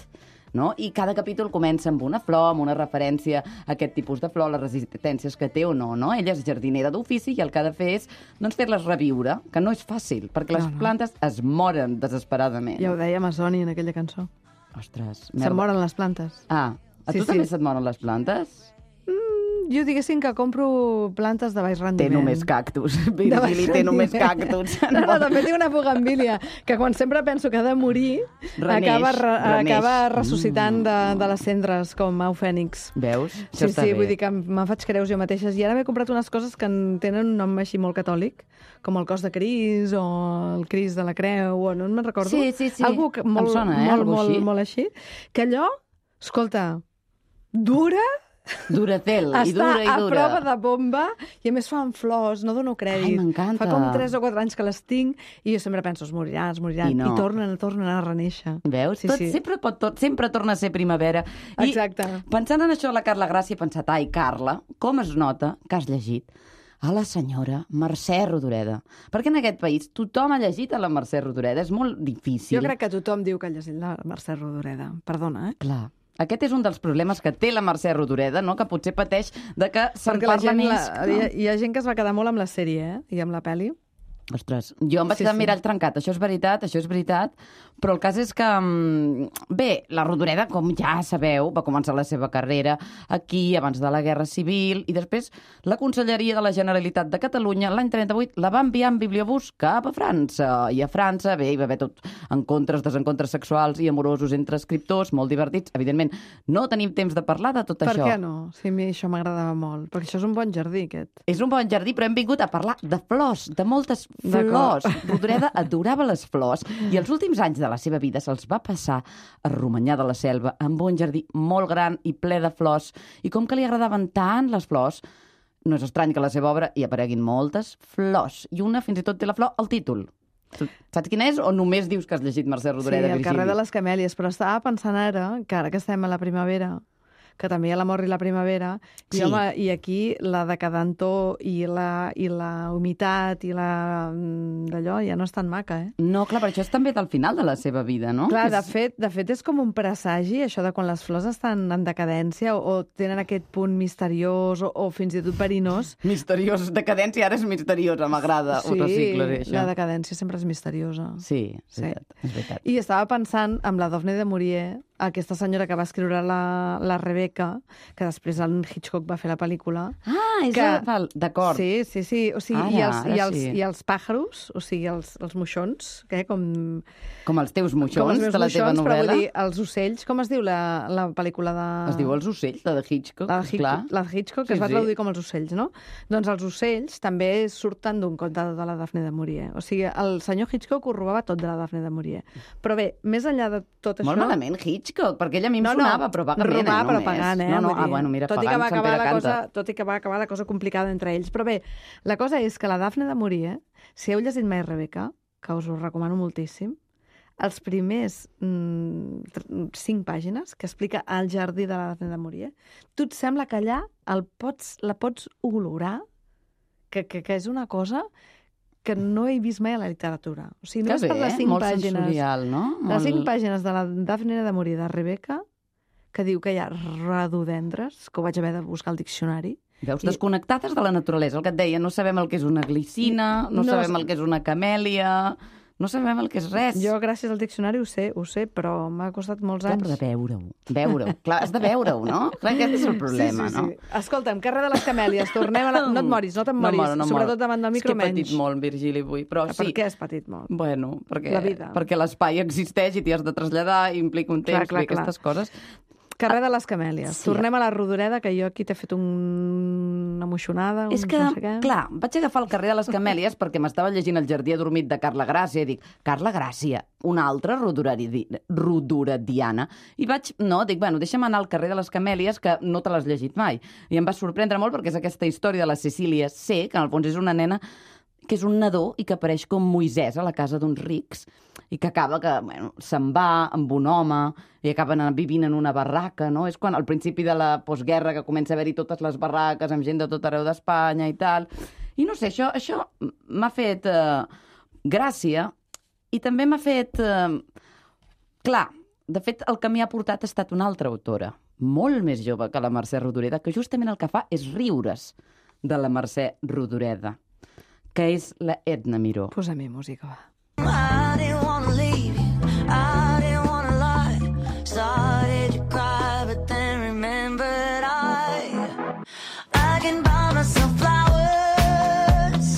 [SPEAKER 10] No? I cada capítol comença amb una flor, amb una referència a aquest tipus de flor, les resistències que té o no, no? Ella és jardinera d'ofici i el que ha de fer és doncs, fer-les reviure, que no és fàcil, perquè les
[SPEAKER 1] No, no.
[SPEAKER 10] plantes es moren desesperadament.
[SPEAKER 1] Ja ho deia Amazoni en aquella cançó.
[SPEAKER 10] Ostres,
[SPEAKER 1] Se'n moren les plantes.
[SPEAKER 10] Ah, a
[SPEAKER 1] Sí,
[SPEAKER 10] tu
[SPEAKER 1] sí.
[SPEAKER 10] també se't moren les plantes?
[SPEAKER 1] Jo diguéssim que compro plantes de baix
[SPEAKER 10] Té
[SPEAKER 1] rendiment.
[SPEAKER 10] només cactus.
[SPEAKER 1] De baix
[SPEAKER 10] Virgili té només
[SPEAKER 1] rendiment.
[SPEAKER 10] cactus.
[SPEAKER 1] No, no, també té una bugambília, que quan sempre penso que ha de morir,
[SPEAKER 10] Reneix,
[SPEAKER 1] acaba, re,
[SPEAKER 10] reneix.
[SPEAKER 1] acaba ressuscitant de, de les cendres, com Mau Fènix.
[SPEAKER 10] Veus?
[SPEAKER 1] Sí,
[SPEAKER 10] Això està
[SPEAKER 1] sí,
[SPEAKER 10] bé.
[SPEAKER 1] vull dir que me'n faig creus jo mateixes. I ara m'he comprat unes coses que en tenen un nom així molt catòlic, com el cos de Cris o el Cris de la Creu, o no me'n recordo.
[SPEAKER 10] Sí, sí, sí.
[SPEAKER 1] Algú que,
[SPEAKER 10] Em
[SPEAKER 1] molt,
[SPEAKER 10] sona, eh,
[SPEAKER 1] molt,
[SPEAKER 10] algú
[SPEAKER 1] molt,
[SPEAKER 10] així.
[SPEAKER 1] molt així. Que allò, escolta, dura...
[SPEAKER 10] Duracell, i
[SPEAKER 1] Està
[SPEAKER 10] dura, i
[SPEAKER 1] a
[SPEAKER 10] dura.
[SPEAKER 1] prova de bomba i a més fan flors, no dono crèdit.
[SPEAKER 10] Ai, m'encanta.
[SPEAKER 1] Fa com tres o quatre anys que les tinc i jo sempre penso, es moriran, es moriran,
[SPEAKER 10] I no.
[SPEAKER 1] i tornen, tornen a reneixer.
[SPEAKER 10] Veus?
[SPEAKER 1] Sí,
[SPEAKER 10] Tot,
[SPEAKER 1] sí.
[SPEAKER 10] Sempre, pot, tot, sempre torna a ser primavera. I
[SPEAKER 1] Exacte.
[SPEAKER 10] pensant en això, la Carla Gràcia ha pensat, ai, Carla, com es nota que has llegit a la senyora Mercè Rodoreda? Perquè en aquest país tothom ha llegit a la Mercè Rodoreda, és molt difícil.
[SPEAKER 1] Jo crec que tothom diu que ha llegit la Mercè Rodoreda. Perdona, eh?
[SPEAKER 10] Clar. Aquest és un dels problemes que té la Mercè Rodoreda, no? Que potser pateix de que se'n
[SPEAKER 1] Perquè la
[SPEAKER 10] parla
[SPEAKER 1] gent,
[SPEAKER 10] més.
[SPEAKER 1] la, hi, ha, hi ha gent que es va quedar molt amb la sèrie, eh? I amb la pel·li.
[SPEAKER 10] Ostres, jo em vaig
[SPEAKER 1] Sí,
[SPEAKER 10] quedar
[SPEAKER 1] sí.
[SPEAKER 10] amb mirall trencat, això és veritat, això és veritat, però el cas és que, mm, bé, la Rodoreda, com ja sabeu, va començar la seva carrera aquí, abans de la Guerra Civil, i després la Conselleria de la Generalitat de Catalunya, l'any trenta-vuit, la va enviar en bibliobús cap a França. I a França, bé, hi va haver tot encontres, desencontres sexuals i amorosos entre escriptors, molt divertits. Evidentment, no tenim temps de parlar de tot
[SPEAKER 1] Per
[SPEAKER 10] això.
[SPEAKER 1] què no? Sí, a mi això m'agradava molt, perquè això és un bon jardí, aquest.
[SPEAKER 10] És un bon jardí, però hem vingut a parlar de flors, de moltes
[SPEAKER 1] D'acord.
[SPEAKER 10] flors. Rodoreda adorava les flors i els últims anys de la seva vida se'ls va passar a Romanyà de la Selva amb un jardí molt gran i ple de flors. I com que li agradaven tant les flors, no és estrany que a la seva obra hi apareguin moltes flors. I una fins i tot té la flor al títol. Tu saps quina és o només dius que has llegit Mercè
[SPEAKER 1] Sí,
[SPEAKER 10] Rodoreda,
[SPEAKER 1] el
[SPEAKER 10] Virgili?
[SPEAKER 1] carrer de les Camèlies, però estava pensant ara, que ara que estem a la primavera, que també hi ha l'amor i la primavera, i,
[SPEAKER 10] Sí.
[SPEAKER 1] home, i aquí la decadentor i la, i la humitat i la mm, d'allò ja no és tan maca, eh?
[SPEAKER 10] No, clar, però això és també del final de la seva vida, no?
[SPEAKER 1] Clar,
[SPEAKER 10] Que
[SPEAKER 1] de
[SPEAKER 10] és...
[SPEAKER 1] fet, de fet és com un presagi, això de quan les flors estan en decadència o, o tenen aquest punt misteriós o, o fins i tot verinós.
[SPEAKER 10] Misteriós, decadència ara és misteriosa, m'agrada.
[SPEAKER 1] Sí,
[SPEAKER 10] Otro cicle, això.
[SPEAKER 1] la decadència sempre és misteriosa.
[SPEAKER 10] Sí, és
[SPEAKER 1] Sí.
[SPEAKER 10] veritat, és veritat.
[SPEAKER 1] I estava pensant amb la Daphne de Maurier, aquesta senyora que va escriure la, la Rebecca, que després en Hitchcock va fer la pel·lícula.
[SPEAKER 10] Ah, és
[SPEAKER 1] que...
[SPEAKER 10] el... val, d'acord.
[SPEAKER 1] Sí, sí, sí. O sigui,
[SPEAKER 10] Ara,
[SPEAKER 1] i, els,
[SPEAKER 10] ara
[SPEAKER 1] i, els,
[SPEAKER 10] sí.
[SPEAKER 1] i els pàjaros, o sigui, els, els moixons, que com...
[SPEAKER 10] Com els teus
[SPEAKER 1] com
[SPEAKER 10] moixons
[SPEAKER 1] els meus
[SPEAKER 10] de la teva
[SPEAKER 1] moixons, però
[SPEAKER 10] novel·la.
[SPEAKER 1] vull dir, els ocells, com es diu la, la pel·lícula de...
[SPEAKER 10] Es diu Els ocells, la de Hitchcock,
[SPEAKER 1] La de
[SPEAKER 10] esclar.
[SPEAKER 1] Hitchcock, la de Hitchcock, que
[SPEAKER 10] Sí,
[SPEAKER 1] es va
[SPEAKER 10] sí.
[SPEAKER 1] traduir com els ocells, no? Doncs els ocells també surten d'un conte de la Daphne de Maurier. O sigui, el senyor Hitchcock ho robava tot de la Daphne de Maurier. Però bé, més enllà de tot
[SPEAKER 10] Molt
[SPEAKER 1] això...
[SPEAKER 10] malament, Hitchcock, perquè ella a mi em
[SPEAKER 1] No, no,
[SPEAKER 10] sonava, però vagament,
[SPEAKER 1] robar,
[SPEAKER 10] eh,
[SPEAKER 1] però
[SPEAKER 10] només.
[SPEAKER 1] pagant, eh?
[SPEAKER 10] No, no,
[SPEAKER 1] vull
[SPEAKER 10] ah,
[SPEAKER 1] dir,
[SPEAKER 10] bueno, mira,
[SPEAKER 1] tot i que
[SPEAKER 10] pagant,
[SPEAKER 1] va
[SPEAKER 10] Sant
[SPEAKER 1] acabar
[SPEAKER 10] Pere
[SPEAKER 1] la
[SPEAKER 10] canta.
[SPEAKER 1] cosa, tot i que va acabar la cosa complicada entre ells. Però bé, la cosa és que la Daphne de Maurier, si heu llegit mai Rebecca, que us ho recomano moltíssim, els primers mm, tr- cinc pàgines que explica el jardí de la Daphne de Maurier, tu et sembla que allà el pots, la pots olorar, que, que, que és una cosa que no he vist mai a la literatura. O sigui,
[SPEAKER 10] Que
[SPEAKER 1] només
[SPEAKER 10] bé,
[SPEAKER 1] per les cinc
[SPEAKER 10] molt
[SPEAKER 1] pàgines,
[SPEAKER 10] sensorial, no?
[SPEAKER 1] les cinc
[SPEAKER 10] Molt-
[SPEAKER 1] pàgines de la Daphne de Maurier de Rebecca, que diu que hi ha rododendres, que ho vaig haver de buscar al diccionari.
[SPEAKER 10] Veus,
[SPEAKER 1] I-
[SPEAKER 10] desconnectades de la naturalesa, el que et deia, no sabem el que és una glicina, no,
[SPEAKER 1] No
[SPEAKER 10] sabem
[SPEAKER 1] sé.
[SPEAKER 10] el que és una camèlia, no sabem el que és res.
[SPEAKER 1] Jo, gràcies al diccionari, ho sé, ho sé, però m'ha costat molts
[SPEAKER 10] Clar,
[SPEAKER 1] anys.
[SPEAKER 10] però de veure-ho, veure-ho. Clar, has de veure-ho, no? Clar, aquest és el problema,
[SPEAKER 1] sí, sí,
[SPEAKER 10] no?
[SPEAKER 1] sí. Escolta'm, carrer de les Camèlies, tornem a la... No et moris, no te'n moris,
[SPEAKER 10] moro, no
[SPEAKER 1] sobretot
[SPEAKER 10] moro.
[SPEAKER 1] davant del micro
[SPEAKER 10] És que he
[SPEAKER 1] menys.
[SPEAKER 10] patit molt, Virgili, avui, però
[SPEAKER 1] Per
[SPEAKER 10] sí.
[SPEAKER 1] què has patit molt?
[SPEAKER 10] Bueno, perquè,
[SPEAKER 1] La vida.
[SPEAKER 10] perquè l'espai existeix i t'hi has de traslladar i implica un temps
[SPEAKER 1] Clar, clar,
[SPEAKER 10] i aquestes coses.
[SPEAKER 1] Carrer de les Camèlies.
[SPEAKER 10] Sí.
[SPEAKER 1] Tornem a la Rodoreda, que jo aquí t'he fet un... una moixonada, un
[SPEAKER 10] És que,
[SPEAKER 1] no sé què.
[SPEAKER 10] clar, vaig agafar el carrer de les Camèlies perquè m'estava llegint El jardí adormit de Carla Gràcia i dic, Carla Gràcia, una altra rodoredi- rodorediana. I vaig, no, dic, bueno, deixa'm anar al carrer de les Camèlies, que no te l'has llegit mai. I em va sorprendre molt perquè és aquesta història de la Cecília C, que en el fons és una nena que és un nadó i que apareix com Moisès a la casa d'uns rics i que acaba que, bueno, se'n va amb un home i acaben vivint en una barraca, no? És quan al principi de la postguerra que comença a haver-hi totes les barraques amb gent de tot arreu d'Espanya i tal. I no sé, això, això m'ha fet eh, gràcia i també m'ha fet... Eh, clar, de fet, el que m'hi ha portat ha estat una altra autora, molt més jove que la Mercè Rodoreda, que justament el que fa és riure's de la Mercè Rodoreda, que és la Edna Miró.
[SPEAKER 1] Posa-mi música, va.
[SPEAKER 3] I didn't wanna leave you, I didn't wanna lie. Started to cry, but then remembered I I can buy myself flowers,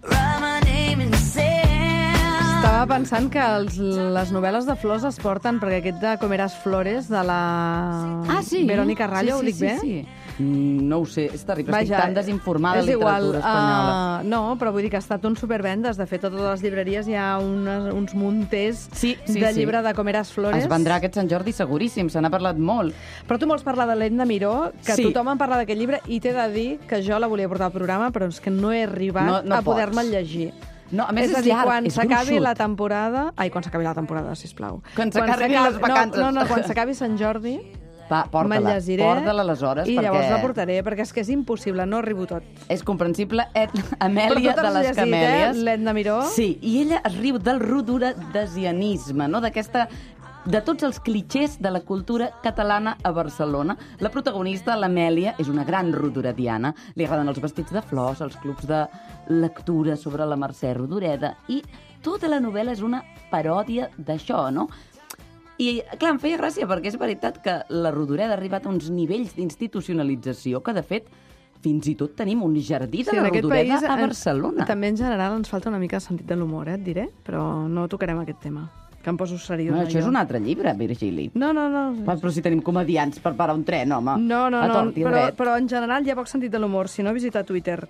[SPEAKER 3] write my name in the sand.
[SPEAKER 1] Estava pensant que els, les novel·les de flors es porten, perquè aquest de Comeràs Flores, de la
[SPEAKER 10] Ah, sí?
[SPEAKER 1] Verònica Rallo,
[SPEAKER 10] sí, sí,
[SPEAKER 1] ho dic
[SPEAKER 10] sí,
[SPEAKER 1] bé?
[SPEAKER 10] Sí. Mm, no ho sé, és terrible, estic
[SPEAKER 1] Vaja,
[SPEAKER 10] tan desinformada
[SPEAKER 1] és
[SPEAKER 10] de
[SPEAKER 1] igual,
[SPEAKER 10] literatura espanyola.
[SPEAKER 1] uh, no, però vull dir que ha estat un supervendes. De fet, a totes les llibreries hi ha unes, uns munters
[SPEAKER 10] Sí, sí,
[SPEAKER 1] de
[SPEAKER 10] sí.
[SPEAKER 1] llibre de Comeràs Flores.
[SPEAKER 10] Es vendrà aquest Sant Jordi seguríssim, se n'ha parlat molt.
[SPEAKER 1] Però tu vols parlar de l'Edna Miró, que
[SPEAKER 10] Sí.
[SPEAKER 1] tothom en parla d'aquest llibre, i t'he de dir que jo la volia portar al programa, però és que no he arribat
[SPEAKER 10] No- no
[SPEAKER 1] a poder-me'l
[SPEAKER 10] pots.
[SPEAKER 1] llegir.
[SPEAKER 10] No, a més
[SPEAKER 1] és
[SPEAKER 10] és
[SPEAKER 1] a dir,
[SPEAKER 10] llarg,
[SPEAKER 1] quan
[SPEAKER 10] és
[SPEAKER 1] s'acabi
[SPEAKER 10] gruixut.
[SPEAKER 1] la temporada... Ai, quan s'acabi la temporada, sisplau.
[SPEAKER 10] Quan s'acabin
[SPEAKER 1] s'acabi-
[SPEAKER 10] les vacances.
[SPEAKER 1] No, no, no, quan s'acabi Sant Jordi,
[SPEAKER 10] Va,
[SPEAKER 1] me'l
[SPEAKER 10] porta-la,
[SPEAKER 1] llegiré.
[SPEAKER 10] porta-la aleshores,
[SPEAKER 1] I
[SPEAKER 10] perquè
[SPEAKER 1] llavors la portaré, perquè és que és impossible, no arribo tot.
[SPEAKER 10] és comprensible. Ed,
[SPEAKER 1] Però
[SPEAKER 10] Amèlia
[SPEAKER 1] tu
[SPEAKER 10] de
[SPEAKER 1] t'has
[SPEAKER 10] les
[SPEAKER 1] llegit,
[SPEAKER 10] Camèlies.
[SPEAKER 1] eh, l'Edna Miró?
[SPEAKER 10] Sí, i ella es riu del rodoredianisme, no? D'aquesta de tots els clichés de la cultura catalana a Barcelona. La protagonista, l'Amèlia, és una gran rodorediana. Li agraden els vestits de flors, els clubs de lectura sobre la Mercè Rodoreda, i tota la novel·la és una paròdia d'això, no? I, clar, em feia gràcia, perquè és veritat que la Rodoreda ha arribat a uns nivells d'institucionalització que, de fet, fins i tot tenim un jardí de
[SPEAKER 1] Sí,
[SPEAKER 10] la
[SPEAKER 1] en aquest
[SPEAKER 10] Rodoreda
[SPEAKER 1] país,
[SPEAKER 10] a
[SPEAKER 1] en-
[SPEAKER 10] Barcelona.
[SPEAKER 1] També en general ens falta una mica de sentit de l'humor, eh, et diré, però no tocarem aquest tema, que em poso seriosa.
[SPEAKER 10] No, això és
[SPEAKER 1] jo.
[SPEAKER 10] un altre llibre, Virgili.
[SPEAKER 1] No, no, no.
[SPEAKER 10] Va, però si tenim comediants per parar un tren, home.
[SPEAKER 1] No, no,
[SPEAKER 10] A
[SPEAKER 1] no,
[SPEAKER 10] tort i a
[SPEAKER 1] però,
[SPEAKER 10] dret.
[SPEAKER 1] però en general hi ha poc sentit de l'humor, si no visita Twitter.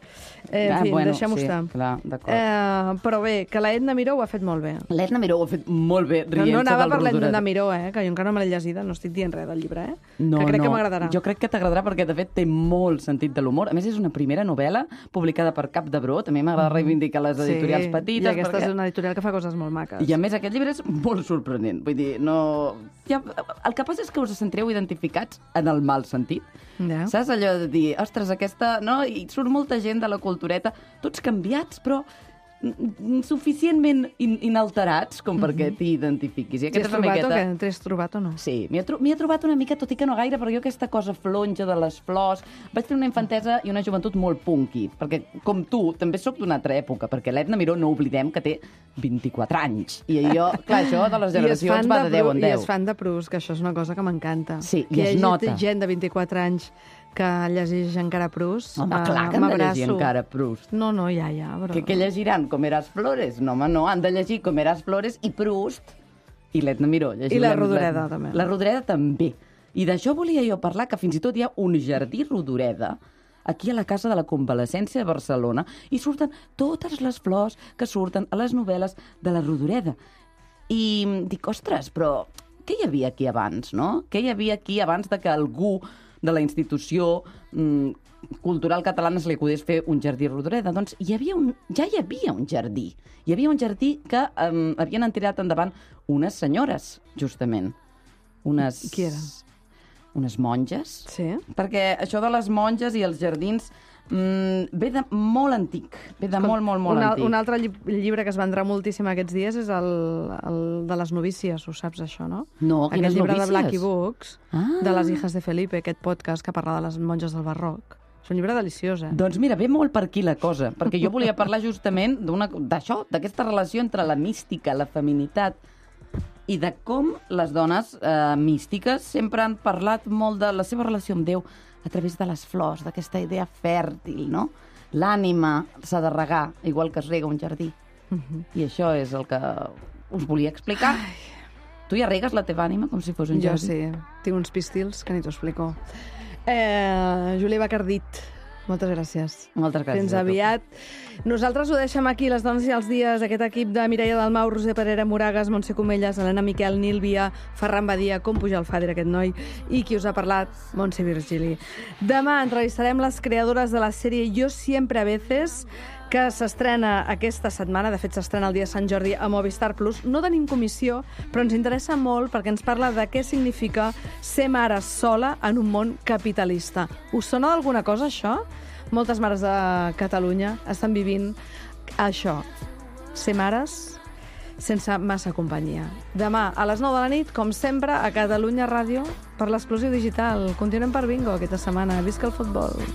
[SPEAKER 1] Eh, en
[SPEAKER 10] Ah,
[SPEAKER 1] fi,
[SPEAKER 10] bueno,
[SPEAKER 1] deixem-ho
[SPEAKER 10] sí,
[SPEAKER 1] estar.
[SPEAKER 10] clar, d'acord.
[SPEAKER 1] Eh, però bé, que la Edna Miró ho ha fet molt bé.
[SPEAKER 10] L'Edna Miró ho ha fet molt bé,
[SPEAKER 1] No,
[SPEAKER 10] rient-se
[SPEAKER 1] no anava
[SPEAKER 10] del
[SPEAKER 1] per l'Edna
[SPEAKER 10] Rodoreda.
[SPEAKER 1] Miró, eh, que jo encara no me l'he llegida, no estic dient res del llibre, eh?
[SPEAKER 10] No,
[SPEAKER 1] que crec
[SPEAKER 10] no.
[SPEAKER 1] que m'agradarà.
[SPEAKER 10] Jo crec que t'agradarà perquè, de fet, té molt sentit de l'humor. A més, és una primera novel·la publicada per Cap de Brot. A mi m'agrada reivindicar les editorials
[SPEAKER 1] sí,
[SPEAKER 10] petites.
[SPEAKER 1] i aquesta
[SPEAKER 10] perquè...
[SPEAKER 1] és una editorial que fa coses molt maques.
[SPEAKER 10] I, a més, aquest llibre és molt sorprenent. Vull dir, no... Ja, el que passa és que us sentireu identificats en el mal sentit.
[SPEAKER 1] Ja.
[SPEAKER 10] Saps allò de dir, ostres, aquesta... No? I surt molta gent de la cultureta, tots canviats, però suficientment in inalterats com perquè t'hi identifiquis. I
[SPEAKER 1] T'hi has
[SPEAKER 10] aquesta
[SPEAKER 1] trobat
[SPEAKER 10] miqueta...
[SPEAKER 1] o què? T'hi has trobat o no?
[SPEAKER 10] Sí, m'hi he, tro he trobat una mica, tot i que no gaire, però jo aquesta cosa flonja de les flors... Vaig tenir una infantesa i una joventut molt punky, perquè, com tu, també sóc d'una altra època, perquè l'Edna Miró, no oblidem que té vint-i-quatre anys. I jo, clar, això de les generacions va de deu en deu.
[SPEAKER 1] I és fan de Proust, que això és una cosa que m'encanta.
[SPEAKER 10] Sí,
[SPEAKER 1] que
[SPEAKER 10] i es nota.
[SPEAKER 1] gent de vint-i-quatre anys que llegeix encara Proust.
[SPEAKER 10] Home, clar que han de llegir encara Proust.
[SPEAKER 1] No, no, ja, ja. Però...
[SPEAKER 10] Que, que llegiran Comeràs Flores? No, home, no. Han de llegir Comeràs Flores i Proust i l'Edna Miró.
[SPEAKER 1] I la Rodoreda, també.
[SPEAKER 10] La Rodoreda, també. I d'això volia jo parlar, que fins i tot hi ha un jardí Rodoreda aquí a la Casa de la Convalescència de Barcelona i surten totes les flors que surten a les novel·les de la Rodoreda. I dic, ostres, però què hi havia aquí abans, no? Què hi havia aquí abans de que algú de la institució mm, cultural catalana se li acudés fer un jardí Rodoreda? Doncs hi havia un, ja hi havia un jardí. Hi havia un jardí que um, havien tirat endavant unes senyores, justament. Unes...
[SPEAKER 1] Qui eren?
[SPEAKER 10] Unes monges.
[SPEAKER 1] Sí.
[SPEAKER 10] Perquè això de les monges i els jardins mm, ve de molt antic. Ve de molt, molt, molt
[SPEAKER 1] un,
[SPEAKER 10] antic.
[SPEAKER 1] Un altre llibre que es vendrà moltíssim aquests dies és el, el de les novícies, ho saps, això, no?
[SPEAKER 10] No, quines
[SPEAKER 1] Aquest llibre
[SPEAKER 10] novícies?
[SPEAKER 1] de Blackie Books,
[SPEAKER 10] ah.
[SPEAKER 1] de les hijas de Felipe, aquest podcast que parla de les monges del barroc. És un llibre deliciós, eh?
[SPEAKER 10] Doncs mira, ve molt per aquí la cosa, perquè jo volia parlar justament d'això, d'aquesta relació entre la mística, la feminitat, i de com les dones eh, místiques sempre han parlat molt de la seva relació amb Déu a través de les flors, d'aquesta idea fèrtil, no? L'ànima s'ha de regar, igual que es rega un jardí. Uh -huh. I això és el que us volia explicar. Ai. Tu ja regues la teva ànima com si fos un
[SPEAKER 1] jo
[SPEAKER 10] jardí?
[SPEAKER 1] Jo sí, tinc uns pistils que ni t'ho explico. Eh, Júlia Bacardit, moltes gràcies.
[SPEAKER 10] Moltes gràcies.
[SPEAKER 1] Fins aviat. Nosaltres ho deixem aquí, les dones i els dies, aquest equip de Mireia Dalmau, Roser Parera, Moragas, Montse Comelles, Helena Miquel, Nil Via, Ferran Badia, com puja el Fader, aquest noi, i qui us ha parlat, Montse Virgili. Demà entrevistarem les creadores de la sèrie Yo siempre a veces, que s'estrena aquesta setmana, de fet s'estrena el dia de Sant Jordi a Movistar Plus. No tenim comissió, però ens interessa molt perquè ens parla de què significa ser mare sola en un món capitalista. Us sona d'alguna cosa, això? Moltes mares de Catalunya estan vivint això, ser mares sense massa companyia. Demà, a les nou de la nit, com sempre, a Catalunya Ràdio, per l'Exclusiu Digital. Continuem per Bingo aquesta setmana. Visca el futbol!